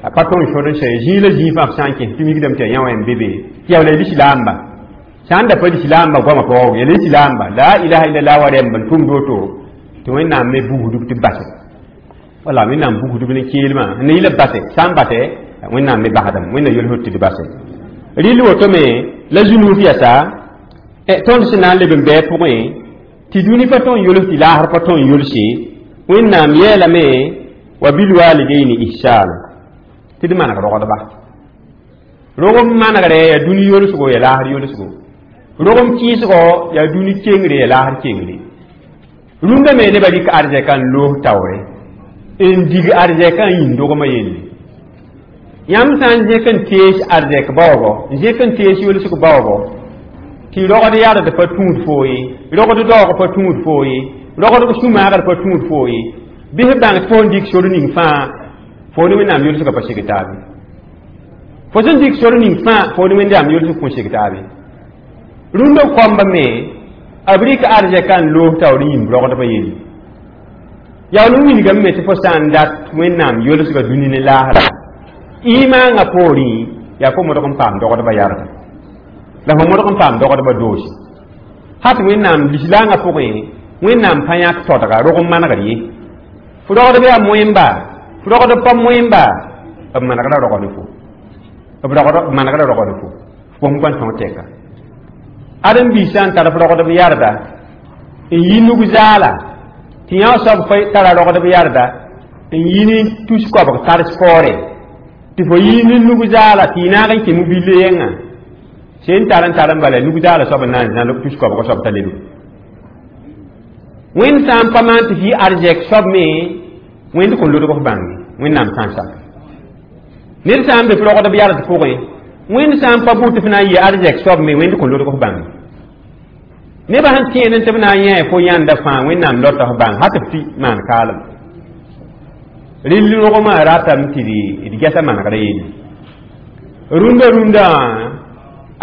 a pa tõnd sod n sɛ zĩig la zĩig fãa f sã n kẽs tɩ mikdame tɩ yaa yã wã n be be tɩ yaa wala lislaamba sã n da pa lislaamba goamã paoog yaa lislaamba la ilaha illallah wa rɛmb n tʋmd woto tɩ wẽnnaam me bugsdb tɩ base wala wẽnnaam bugsdb ne keelmã n yɩla base sã n base wẽnnaam me basdame wẽnna yols tɩ d base rɩl woto me la zũnuuf yasa tõnd sẽn na n leb n bɩ pʋgẽ tɩ dũni pa tõn yols tɩ laasr pa tõn yolse wẽnnaam yeelame wa bilwalidaini ihsana tɩ d maneg rogdba rogem manegre yaa dũni yolsgo yaa laasr yolsgo rogem kɩɩsgo yaa dũni kengre yaa laasr kengre rũndã me nebã rɩk arzɛka n loos taoore n dig arzɛka n yĩn dogmã yelle yãmb sã n zẽk n tees arzɛk baoogo n zẽk n tees yolsg baoogo tɩ rogd yard pa tũud foo ye rogd daoog pa tũud foo ye rogd sũ-maagd pa tũud foo ye bɩ f bãng tɩ fo n dɩk sor ning fãa fo ne wẽnnaam yolsgã pa seg taabe fo sẽn dɩk sor ning fãa fo ne wẽnnaam yolsg kõn seg taabe rũndã koamba me b rɩk arzɛka n loos taoor n yĩmb rogdbã yelle yaool n wilgame me tɩ fo sã n dat wẽnnaam yolsgã dũni ne laasra imaangã poorẽ yaa fo modg n paam dogdbã yarda la fo modg n paam dogdbã doose hat wẽnnaam lislaangã pʋgẽ wẽnnaam pa yãk todga rog n manegr ye fo rogdb yaa moẽmba fo rogdb pa moẽmba b manegra rogd fo b manegra rogd fo fo n tõog tɛka ãdem-biis sã n tar f rogdb yarda n yi nug zaala tɩ yã soab fa tara rogdb yarda n yi ne tus koabg tars faoore tɩ fo yi ne nug zaala tɩ y naag n kẽ mobile yẽngã sẽn tar n tar n bala nug zaala soab n na n zãl tus koabg soab t'a leb wẽnd sã n pa maan tɩ fɩ arzɛk soab me wẽnd kõn lodg f bãnge wẽnnaam sã n sak ned sã n be f rogdb yard pʋgẽ wẽnd sã n pa bʋ tɩ f na n yɩ arzɛk soab me wẽnd kõn lodg f bãnge nebã sẽn tẽed tɩ b na n yã fo yãnda fãa wẽnnaam lota f bãng ha tɩ f tɩ maan kaalem rɩll rogmã ratame tɩ d gɛsa manegrã yelle rũndã rũndã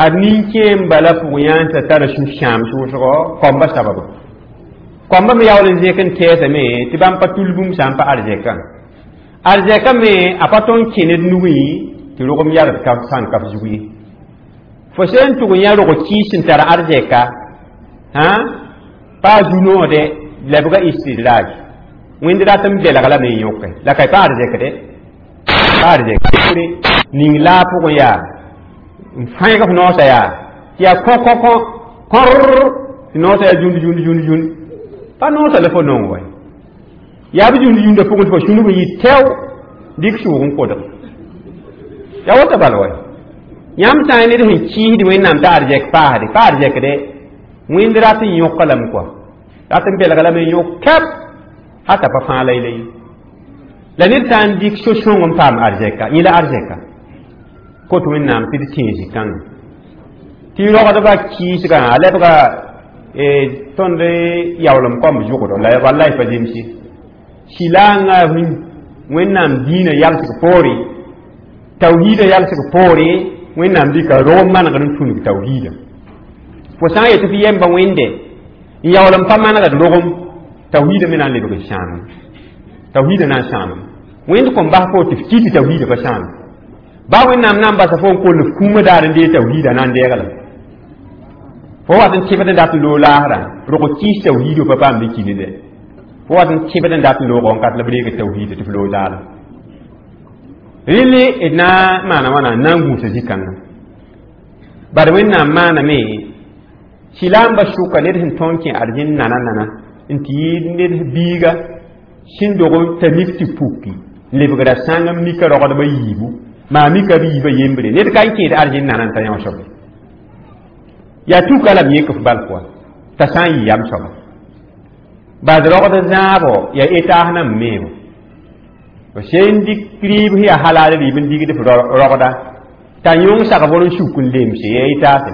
ad nin-kẽem bala pʋg yãnsã tara sũ-sãam sʋʋsgɔ koambã sababa koambã me yaool n zẽk n tɛɛsame tɩ bãmb pa tul bũmb sã n pa arzɛkã arzɛkã me a pa tõn kẽ ned nugẽ tɩ rogem yard ka sã n ka f zug ye fo sẽn tʋg n yã rog kɩɩs sẽn tar arzɛka hã pa a zu-noode lebga istidraj wẽnd rat n belg lame n yõke la ka pa arzɛk de pa arzɛk ning laa pʋgẽ yaa n fãeg f noosã yaa tɩ yaa kõ kõ kõ kõr tɩ noosã yaa jũnd jũnd jũnd jũnd pa noosã la fo nong wa yaa b jũnd yũndã pʋgẽ tɩ fo sũnug n yɩ tɛo dɩk sʋʋg n kodg yaa wota bal wa yãmb sã n ned sẽn kɩɩsd wẽnnaam t'a arzɛk paasde pa arzɛk de wẽnd rat n yõka lame kɔa rat n belga lame n yõk kɛp hata pa fãa la y la ye la ned sã n dɩk so-sõng n paam arzɛka yẽ la arzɛka kot wẽnnaam tɩ d tẽeg zĩ-kãngã Tɩ rogdbã kɩɩsgã a lebga tõnd yaoolem kõmb zʋgdo la wallahi pa zemse silaangã Wẽnnaam dĩinã yalsg poore, tawhiidã yalsg poore. Wẽnnaam dɩka rog manegr n tũnug tawhiidã. Fo sã n yetɩ f yemba wẽnde n yaool n pa manegd rogem, tawhiidã me na n lebg n sãamem, tawhiidã na n sãamem. Wẽnd kõn bas fo tɩ f kɩ tɩ tawhiidã pa sãame ba. Wẽnnaam na n basa fo n koll f kũumã daar n dee tawhiidã na n deeglem. Fo wat n tẽbd n dat n loog laasrã, rog kɩɩs tawhiidã pa paam bɩ kɩnde. Fo wat n tẽbd n dat n loogã n kat la b reeg tawhiidã tɩ f loog zaalem. Rẽle d na n maana wãna n na n gũusa zĩ-kãngã. Bad Wẽnnaam maaname silaamba sʋka ned sẽn tõnd kẽ arzẽn nana nana n tɩ yɩ ned biiga sẽn dog t'a mik tɩ puki n lebgra sãng n mika rogdbã yiibu maa mika b yiibã yembre. Ned ka n kẽed arzẽn nana n ta yão soabe yaa tuka la b yẽk f bal pʋga t'a sã n yɩ yam soaba. Bad rogd zãabɔ yaa etaas nan meebo f sẽn dɩk rɩɩb sẽn yaa halaal rɩɩb n digd f rogda t'a yõng sag bor n suk n lemse yaa etaase,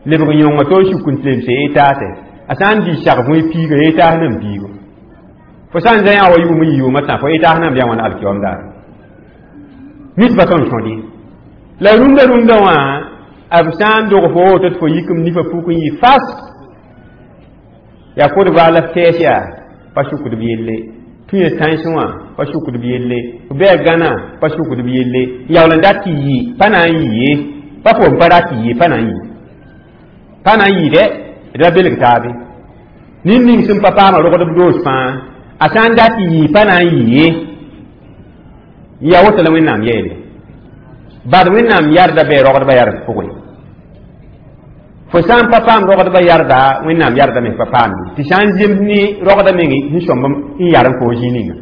lebg yõnga to n suk n lemse yaa etaase. A sã n dɩ sag bõe piiga yaa etaas nan piigo. Fo sã n zã yã wa yʋʋm n yɩ yʋʋmã tã fo etaas nan bɩa wãna alkiom daar mitba tõnd sõd. La rũndã rũndã wã b sã n dog fo woto tɩ fo yikem nifã puk n yɩ fas yaa kodba la f tɛɛs yaa pa sukd b yelle, tũ ya tãens wã pa sukd b yelle, f bɩ a gãnã pa sukd b yelle, yaool n dat tɩ yɩ pa na n yɩ ye, pa fo n pa rat tɩ yɩ pa na n yɩ, pa na n yɩ dɛ. D ra belg taabe ned ning sẽn pa paama rogdb doos fãa, a sã n dat tɩ yɩ pa na n yɩ ye. Yaa woto la Wẽnnaam yeele. Bad Wẽnnaam yarda bɩ rogdbã yard pʋgẽ. Fo sã n pa paam rogdbã yarda, Wẽnnaam yarda me pa paam tɩ sã n zems ne rogda meng sẽn sõmb n yar n fo zĩ ninga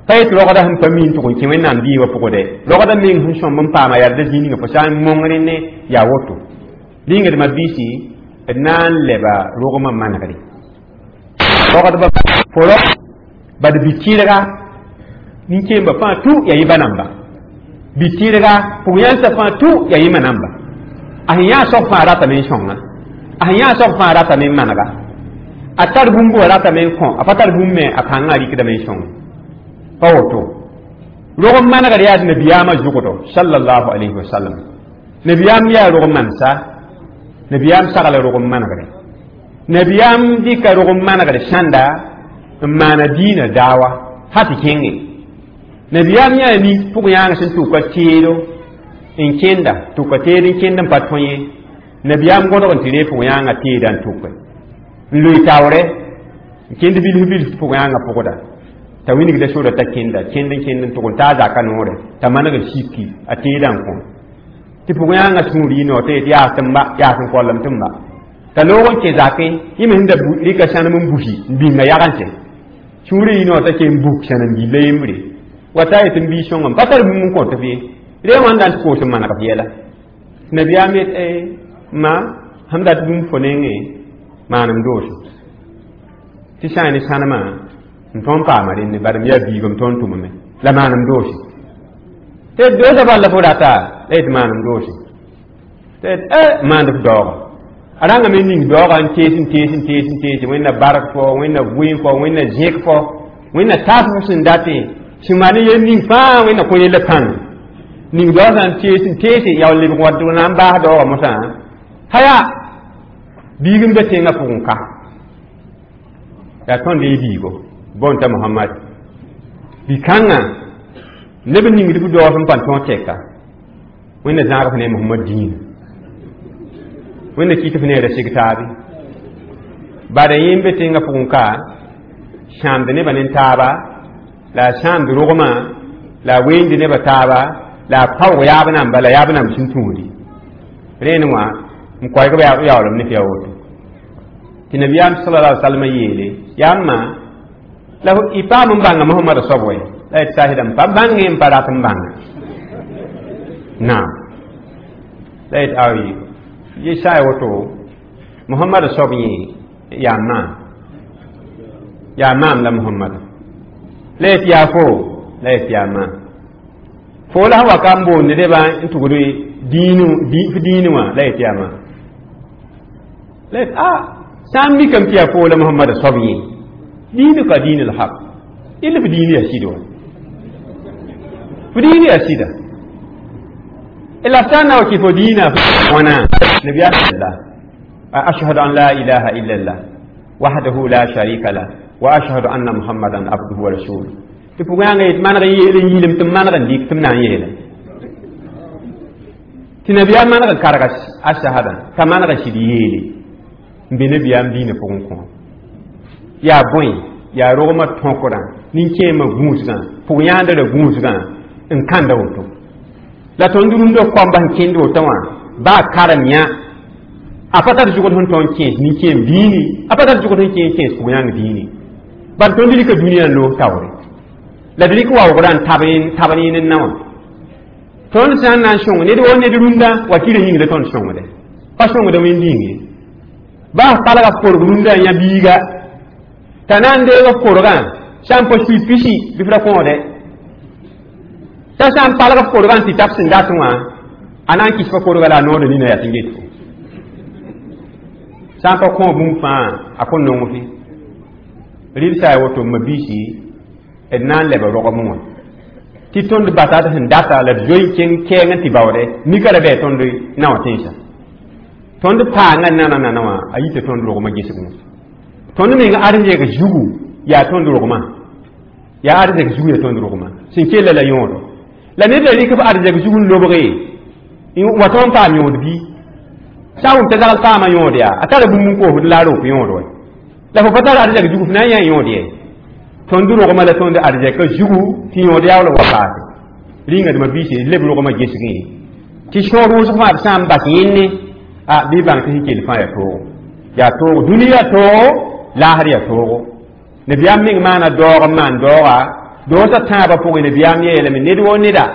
pa yet rogda sẽn pa mi n tʋg n kẽ Wẽnnaam dɩɩbã pʋgdɛ, rogda meng sẽn sõmb n paama yarda zĩ ninga fo sã n mong rẽne yaa woto. Rĩngdmã biisi d na n leba rogmã manegre rogdbã fo rog bad bi-tɩrga nin-kẽembã fãa tũ yaa yɩ ba namba, bi-tɩrga pʋg-yãnsã fãa tũ yaa yẽmã namba. A sẽn yã soab fãa ratame n sõnga, a sẽn yã soab fãa ratame n manega, a tar bũmb wã ratame n kõ, a pa tar bũmb me a pãngã rɩkdame n sõng pa woto. Rog n manegr yaa nabiyaamã zʋgdo sallallahu alayhi wa sallam. Nabiyaam yaa rog mansa, nabiyaam sagla rog n manegre, nabiyaam dɩka rog n manegr sãnda n maana diinã daawa ha tɩ kẽnge. Nabiyaam yaa nin pʋg-yãang sẽn tʋka teedo n kẽnda, tʋka teed n kẽnd n pa tõe ye. Nabiyaam gõdg n tɩ ree pʋg-yãangã teedã n tʋke n loe taoorɛ n kẽnd bilf bilf pʋg-yãangã pʋgda t'a wingda sora t'a kẽnda kẽnd n kẽnd n tʋg n taa zaka noorɛ t'a maneg n siki a teedã n kõ tɩ pʋg-yãangã sũur yɩ noor t'a yet yaa tɩ m ba yaa sẽn koalem tɩ m ba t'a loog n kẽ zakẽ yẽ me sẽn da rɩka sãnem n busi n bĩnga yagensẽ sũurã yɩ noor t'a ken buk sãnem gilla yembre wa t'a yetɩ n bii sõngame pa tar bũmb n kõt f ye rẽ wãnda n tɩ koos n maneg f yɛla. Nabiyaam yet ma sãm dat bũmb fo nengẽ maanem doose tɩ sã n ne sãnemã n tõnd paama rẽnde bad m yaa biigã m tõnd tʋmame la maanem doose tɩ doosã bal la fo rata la yetɩ maanem doose tɩ maand f daooga a rãngame ning daooga n tees n tees n tees n tees Wẽnna bark fo, Wẽnna vʋɩɩm fo, Wẽnna zẽk fo, Wẽnna taas fo sẽn datẽ sẽn maan yel ning fãa Wẽnna kõ yella pãng ning daoog sã n tees n teese yaool lebg wat na n baas daoogã mosã haya biig n be tẽngã pʋgẽ ka yaa tõnd y biigo bõn t'a Mohamad bi-kãngã neb n ningd f daoog sẽn pa tõog tɛka. Wẽnna zãag f ne Mohamad dĩinã, Wẽnna kɩt f ne ra seg taabe bada yẽ n be tẽngã pʋgẽ ka sãamd nebã ne taaba la a sãamd rogmã la a weend nebã taaba la a paoog yaab namba la yaab namb sẽn tũudi rẽnd wã n koɛɛg b yaoolem ne tɩ yaa woto tɩ nabiyaam sala alai salama yeele yaa n ma la y paam n bãnga Mohamada soab wɛ la yetɩ saasɩdame pa bãngẽ n pa rat n bãnga naam la yet ayi ye sã ya woto Mohamada soab yẽ yaa maam yaa maam la Mohamada la yet yaa fo la yet yaa maam fo la sẽn wa ka n boonde nebã n tugd diinu f diinu wã la yet yaa maam. La a sã n mikame tɩ yaa foo la Mohamada soab yẽ diinuka diin lhaq illa f diin yaa sɩd wa f diin yaa sɩda la sã n na wa kɩ fo diinã wãna nabiyaam la ashhadu an la ilaha illa llah wahdahu la sharika lah wa ashhadu anna muhammadan abduhu wa rasuluh tɩ pʋgãanga yet maneg n yeel n yiilem tɩ m maneg n dɩk tɩ m na n yeela tɩ nabiyaam maneg n karga a shahada t'a maneg n sɩd yeele n be nabiyaam diinã pʋgẽ kõ yaa bõe yaa rogmã tõkrã nin-kẽemã gũusgã pʋg-yãandrã gũusgã n kãnda woto la tõnd rũndã koamba sẽn kẽnd woto wã baa karem yã a pa tar zʋgd sẽn tõnd kẽes nin-kẽem diini a pa tar zʋgd sẽn kẽes kẽes pʋg-yãng diini bar tõnd rɩka dũniyã n loos taoore la d rɩk waoogrã n tab tab yẽnd n na wã tõnd sã n na n sõng ned wo ned rũndã wakirã yĩng la tõnd sõngde pa sõngda wẽnd yĩng ye baa palga f korg rũndã n yã biiga t'a na n deeg f korgã sã n pa sui pisi bɩ f ra kõode t'a sã n palg f korgã n tɩ tab sẽn dat wã a na n kɩs fa korga la a nood nina yaa tɩ n get fo sã n pa kõ bũmb fãa a kõn nong fɩ rɩd sã ya woto ma biisi d na n leba rogem wã tɩ tõnd basa d sẽn data la d zoe n kẽng kɛɛng n tɩ baoode mika ra bɩ tõnd na wã tẽnsã tõnd paangã nana nana wã a yita tõnd rogmã gesg wã tõnd meng arzɛk zugu yaa tõnd rogmã yaa arzɛk zugu yaa tõnd rogmã sẽn kella la yõodo la ned la rɩk f arzɛk zug n lobge wa tõnd paam yõod bɩ sã n wʋm t'a zagl paama yõod yaa a tara bũmb n koosd la a rok yõod wa la fo pa tar arzɛk zugu f na n yã yõod ye tõnd rogmã la tõnd arzɛka zugu tɩ yõod yaool wa paase rĩnga dma biise leb rogmã gesgẽ tɩ sõor wʋsg fãa b sã n bas yẽnne a bɩ bãng tɩ sẽn kell fãa yaa toogo yaa toogo dũni yaa toogo laasr yaa toogo nabiyaam meng maana daoog n maan daooga doosã tãabã pʋgẽ nabiyaam yeelame ned wo neda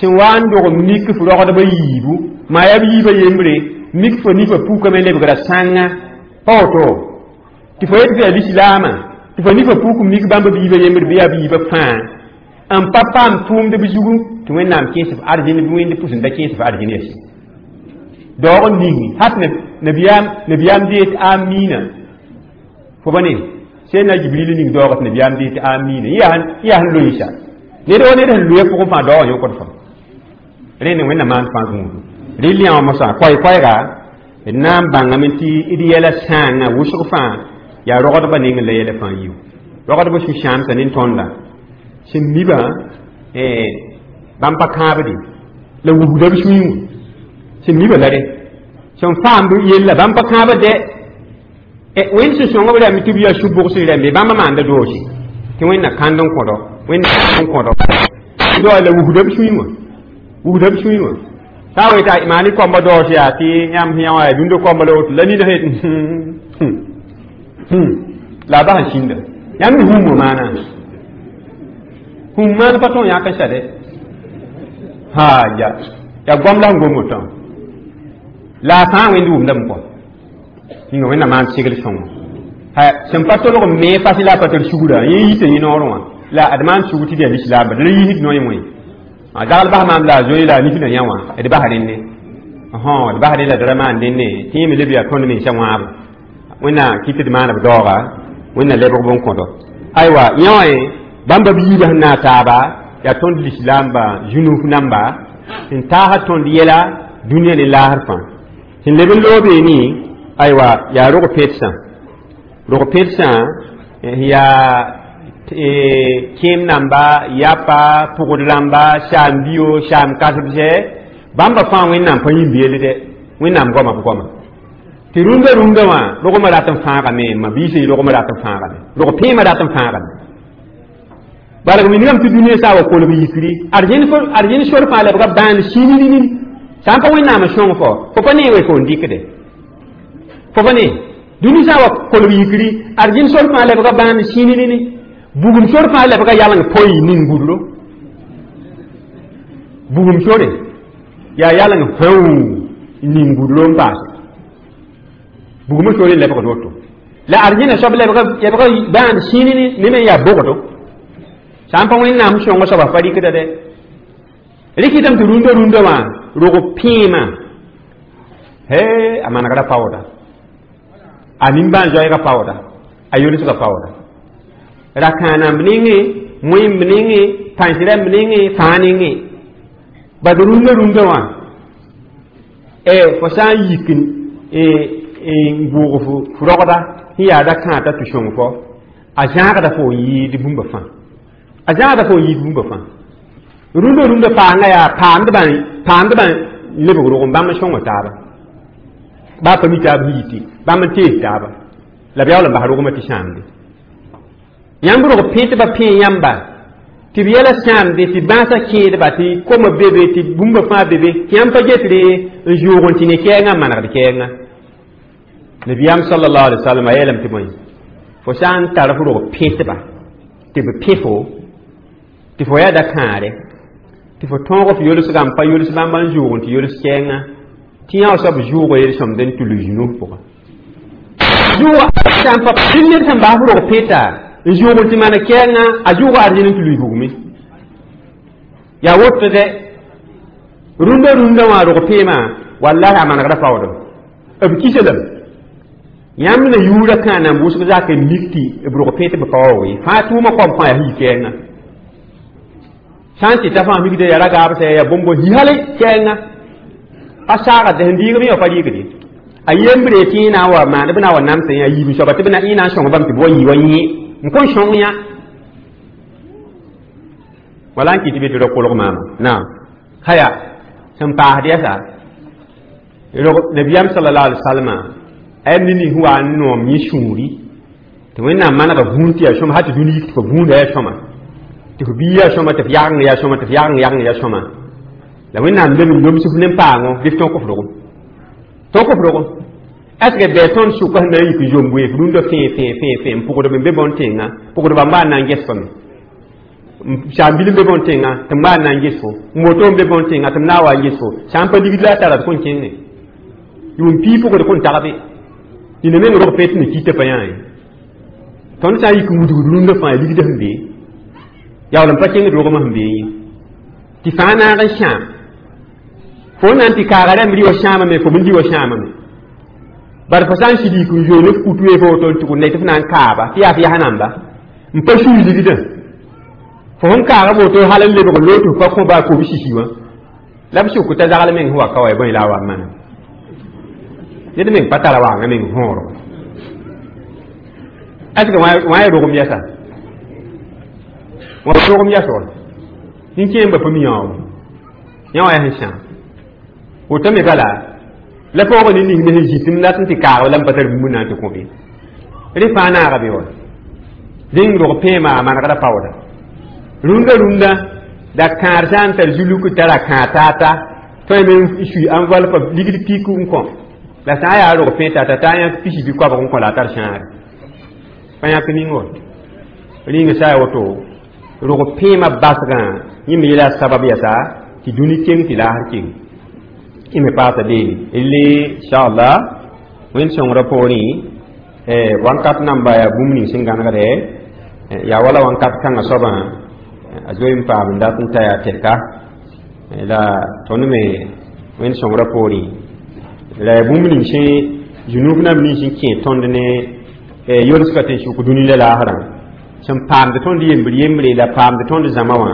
sẽn wa n dog mik f rogdbã yiibu maa yaa b yiibã yembre mik fo nifã pukame lebgra sãnga pa woto tɩ fo yet fo yaa lislaamã tɩ fo nifã puk mik bãmb b yiibã yembre bɩ yaa b yiibã fãa n pa paam tʋʋmd b zugu tɩ Wẽnnaam kẽes f arzẽn bɩ wẽnd pʋs n da kẽes f arzẽn yɛsẽ daoog n ning hat nabiyaam nabiyaam dee tɩ amiina fo ba ne sẽn Jibril ning daoog tɩ nabiyaam dee tɩ amiina yã yaa sẽn loeesa ned wa ned sẽn loe pʋgẽ fãa daoogã yõkd fã rẽnd Wẽnnaam maan fãa gũudu rɩl yã wã mosã koɛɛ-koɛɛga d na n bãngame tɩ d yɛla sãangã wʋsg fãa yaa rogdbã nengẽ la yɛla fãa yiu rogdbã sũ-sãamsã ne tõnda sẽn mibã bãmb pa kãabde la wubda b sũyẽ wã sẽn mibã la re sẽn faamb yella bãmb pa kãabd dɛ Wẽnd sẽn sõng b rãmb tɩ b yaa su-bʋgs rãmbe bãmba maanda doose tɩ Wẽnna kãnd n kõdo Wẽnna n kõdo doa la wusda b sũyẽ wã wusda b sũyẽ wã sã n weta maani koamba daoos yaa tɩ yãmb sẽn yã wã yaa dũndã koamba la woto la nina sẽn la a bas n sĩnda yãmb mi hũumã maana hũm maan pa tõog yãk n sade ha ya yaa goam la sẽn gom wotã la a fãa wẽnd wʋmdame kɔ yĩnga Wẽnnaam maan segl sõngo sẽn pa tolg n me fas la a pa tar sugra yẽ yita yẽ noorẽ wã la d maan sugr tɩ d yaa lislaamba d ra yiisd noe wẽ zagl bas maam la a zoe la a nifnã yã wã d bas rẽnne d bas rẽ la d ra maan dẽnne tɩ yẽ me leb yaa tõnd mensã wãabo Wẽnna kɩ tɩ d maana b daooga Wẽnna lebg bõn-kõdo aywa yã wã bãmba b yiibã sẽn na taaba yaa tõnd lislaamba zũnuf namba sẽn taasa tõnd yɛla dũniyã ne laasr fãa sẽn leb n loobeene aywa yaa rog petsã rog petsã yaa kẽem namba yapa pʋgd rãmba saam-bio saam kasbsɛ bãmba fãa Wẽnnaam pa yĩmb yell dɛ Wẽnnaam goama b goama tɩ rũndã rũndã wã rogmã rat n fãagame ma biisã rogmã rat n fãagame rog pẽemã rat n fãagame balg wingame tɩ dũniyã sã wa kolg yikri arzẽn sor fãa lebga bãan sĩnini sã n pa Wẽnnaam n sõng fo fo pa nee we fo n dɩkde fo pa ne dũni sã wa kolg yikri arzẽn sor fãa lebga bãan sĩnini bugum sor fãa lebga yaleng poy ning gudro bugum sore yaa yaleng fãu ning gudro n paase bugumã sore lebgd woto la arzẽna soab lebga lebga bãan sĩnini ne me yaa bogdo sã n pa Wẽnnaam sõngo soaba pa rɩkda dɛ rɩkɩtame tɩ rũndã rũndã wã rog pẽemã he a manegra paooda A nimbãan-zoɛɛgã paooda a yolsgã paooda ra-kãanamb nengẽ wẽmb nengẽ pãens rãmb nengẽ fãa nengẽ bad rũndã rũndã wã fo sã n yik n bʋʋg f rogda sẽn yaa ra-kãad t'a tɩ sõng fo a zãagda fo n yɩɩd bũmba fãa a zãagda fo n yɩɩd bũmba fãa rũndã rũndã paanga yaa paamdbã paamdbã lebg rogem bãmb n sõnga taaba baa pa mi taab sẽn yiti bãmb n tees taaba la b yaool n bas rogmã tɩ sãamde yãmb rog pẽtbã pẽ yãmba tɩ b yɛla sãamde tɩ bãasã kẽedba tɩ koma be be tɩ bũmba fãa be be tɩ yãmb pa getre n zʋʋg n tɩ ne kɛɛngã n manegd kɛɛngã nabiyaam sallallahu alaihi wasallam a yeelame tɩ bõe fo sã n tar f rog pẽtba tɩ b pẽ fo tɩ fo yaa da-kãare tɩ fo tõog f yolsgã n pa yols bãmba n zʋʋg n tɩ yols kɛɛngã tɩ yã soab zʋʋga yel-sõmd n tʋls zũnug pʋgã zʋʋga sã n pa tɩ ned sẽn bas f rog pẽta n zʋʋg n tɩ maan kɛɛngã a zʋʋga arzẽn n tʋls bugme yaa woto dɛ rũndã rũndã wã rog peemã wallahi a manegda paoodem b kisa lame yãmb na yuurã kãanam wʋsg zak n mik tɩ b rog pẽ tɩ b pa wa we fãa tʋʋmã koam fãa yaa yi kɛɛngã sã n tɩ ta fãa mikda yaa ra-gaabsã yaa bõmbo hi hal kɛɛngã pa saagd sẽn rɩɩgb yã pa rɩɩgde a yembre tɩ yẽ na n wa maan b na wa namsẽ yã yiib soaba tɩ b na yẽ na n sõng bãmb tɩ b wa yɩ wa yẽ n kõn sõng yã wala n kɩ tɩ be tɩ ra kolg maama naam haya sẽn paasd yɛsa nabiyaam sallallahu alaihi wasallam a yam ne nin wa n noom yẽ sũuri tɩ wẽnnaam manega vũun tɩ yaa sõma hal tɩ dũni yik tɩ fo vũunda yaa sõma tɩ fo bii yaa sõma tɩ f yageng yaa sõma tɩ f yageng yageng yaa sõma la wẽnnaam lem n loms f ne paango bɩ f tõk f rogem tõk f rogem est ce que bɩ tõnd sʋka sẽn na n yik n zomb wee f rũndã fẽe fẽe fẽe fẽe n pʋgdb n be bõn-tẽngã pʋgdbã n n na n ges fame saam-bil n be bõn-tẽngã tɩ m n na n ges fo moto n be bõn-tẽngã tɩ m na n wa n ges fo sã n pa ligd la a tara d kõn kẽnge yʋʋm pii pʋgd kõn tagbe dĩnã meng rog pẽ tɩ ne kɩta pa yã ye tõnd sã n yik n wudgd rũndã fãa ligd sẽn be yaool n pa kẽngd rogmã sẽn bee ye tɩ fãa naag n sãam fo na n tɩ kaaga rãmb rɩ wa sãamame fo m rɩ wa sãamame bar fo sã n sɩd yik n zoe ne f kut wee fo woto n tʋg n tɩ f na n kaaba tɩ yaa f yas namba n pa sũy ligdã fo sẽn kaaga woto hal n lebg n loog tɩ f pa kõ baa kob sisi wã la b sʋk t'a zagl meng sẽn wa ka wa bõe la a wa n mana ned meng pa tara waanga meng võoro est ce que wã ya rogem yɛsa wã rogem yɛs wa nin-kẽembã pa mi yãoogo yã wã yaa sẽn sãam woto me bala la paoog ne ning me sẽn zĩt n dat n tɩ kaag la n pa tar bũmb na n tɩ kõ be rẽ fãa naaga be wa rẽng rog pẽema a manegda paooda rũndã rũndã da kãad sã n tar zuluk tara kãad taata tõe me n sui enveloppe ligd pik n kõ la sã n yaa rog pẽ tata t'a yãk pisi bɩ koabg n kõ la a tar sãare pa yãk ning wa rĩnga sã ya woto rog pẽemã basgã yẽ me yeela sabab yɛsa tɩ dũni keng tɩ laasr keng yẽ me paasa beene elle inchallah wẽnd sõngrã poorẽ wãnkat namba yaa bũmb ning sẽn gãnegde yaa wala wãnkat kãngã soabã a zoe n paam n dat n ta yaa tɛka la tõnd me wẽnd sõngrã poorẽ la yaa bũmb ning sẽn zũnug nam nins n kẽ tõnd ne yolsga tɩ n sʋk dũni la laasrã sẽn paamd tõnd yembr yembre la paamd tõnd zãma wã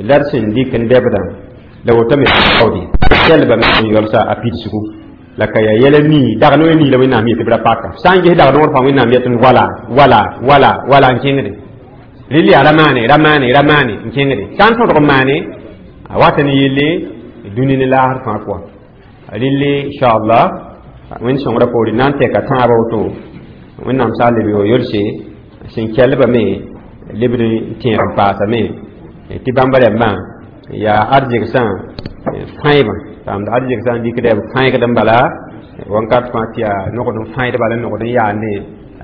la d sẽn dɩk n dɛbdã la woto me kaoode kɛlba me sẽn yolsa a pidsgu la ka yaa yɛla nii dag no nii la wẽnnaam yetɩ b ra paka sã n ges dag noor fãa wẽnnaam yetɩ wala wala wala wala n kẽngde rel yaa ra maane ra maane ra maane n kẽngde sã n tõdg n maane a wata ne yelle dũni ne laasr fãa pʋga relle inchallah wẽnd sõngrã poore na n tɛka tãabã woto wẽnnaam sã n leb yo yolse sẽn kɛlbame lebd n tẽeg n paasame tɩ bãmba rãmbã yaa arzegsã fãebã paamd arzegsã n dɩkda b fãegd n bala wãnkat fãa tɩ yaa nogd n fãed bala nogd n yaande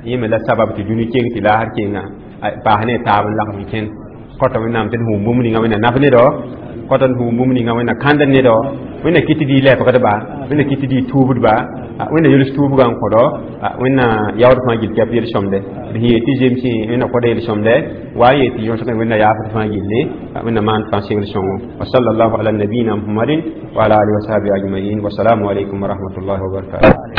yẽ me la sabab tɩ dũni keng tɩ laasr kenga paas ne taab n lagm n kẽnd kõta wẽnnaam tɩ d hũum bũmb ninga wẽnna naf nedɔ kõta d hũum bũmb ninga wẽnna kãnd nedɔ wẽnna kɩt tɩ dɩ lɛbgdba wẽnna kɩt tɩ dɩ tuubdba wẽnna yols tuubgã n kõdɔ wẽnna yaood fãa gill kɛp yel-sõmde d sẽn yeel tɩ zemsẽ wẽnna kõda yel-sõmde wa n yeel tɩ yõsgẽ wẽnna yaafd fãa gilli wẽnna maan fãa segl sõngo wa sallallahu ala nabiyina muhammadin wa ala alihi wa sahbihi ajmain wa salaamu alaykum wa rahmatullahi wa barakatuh.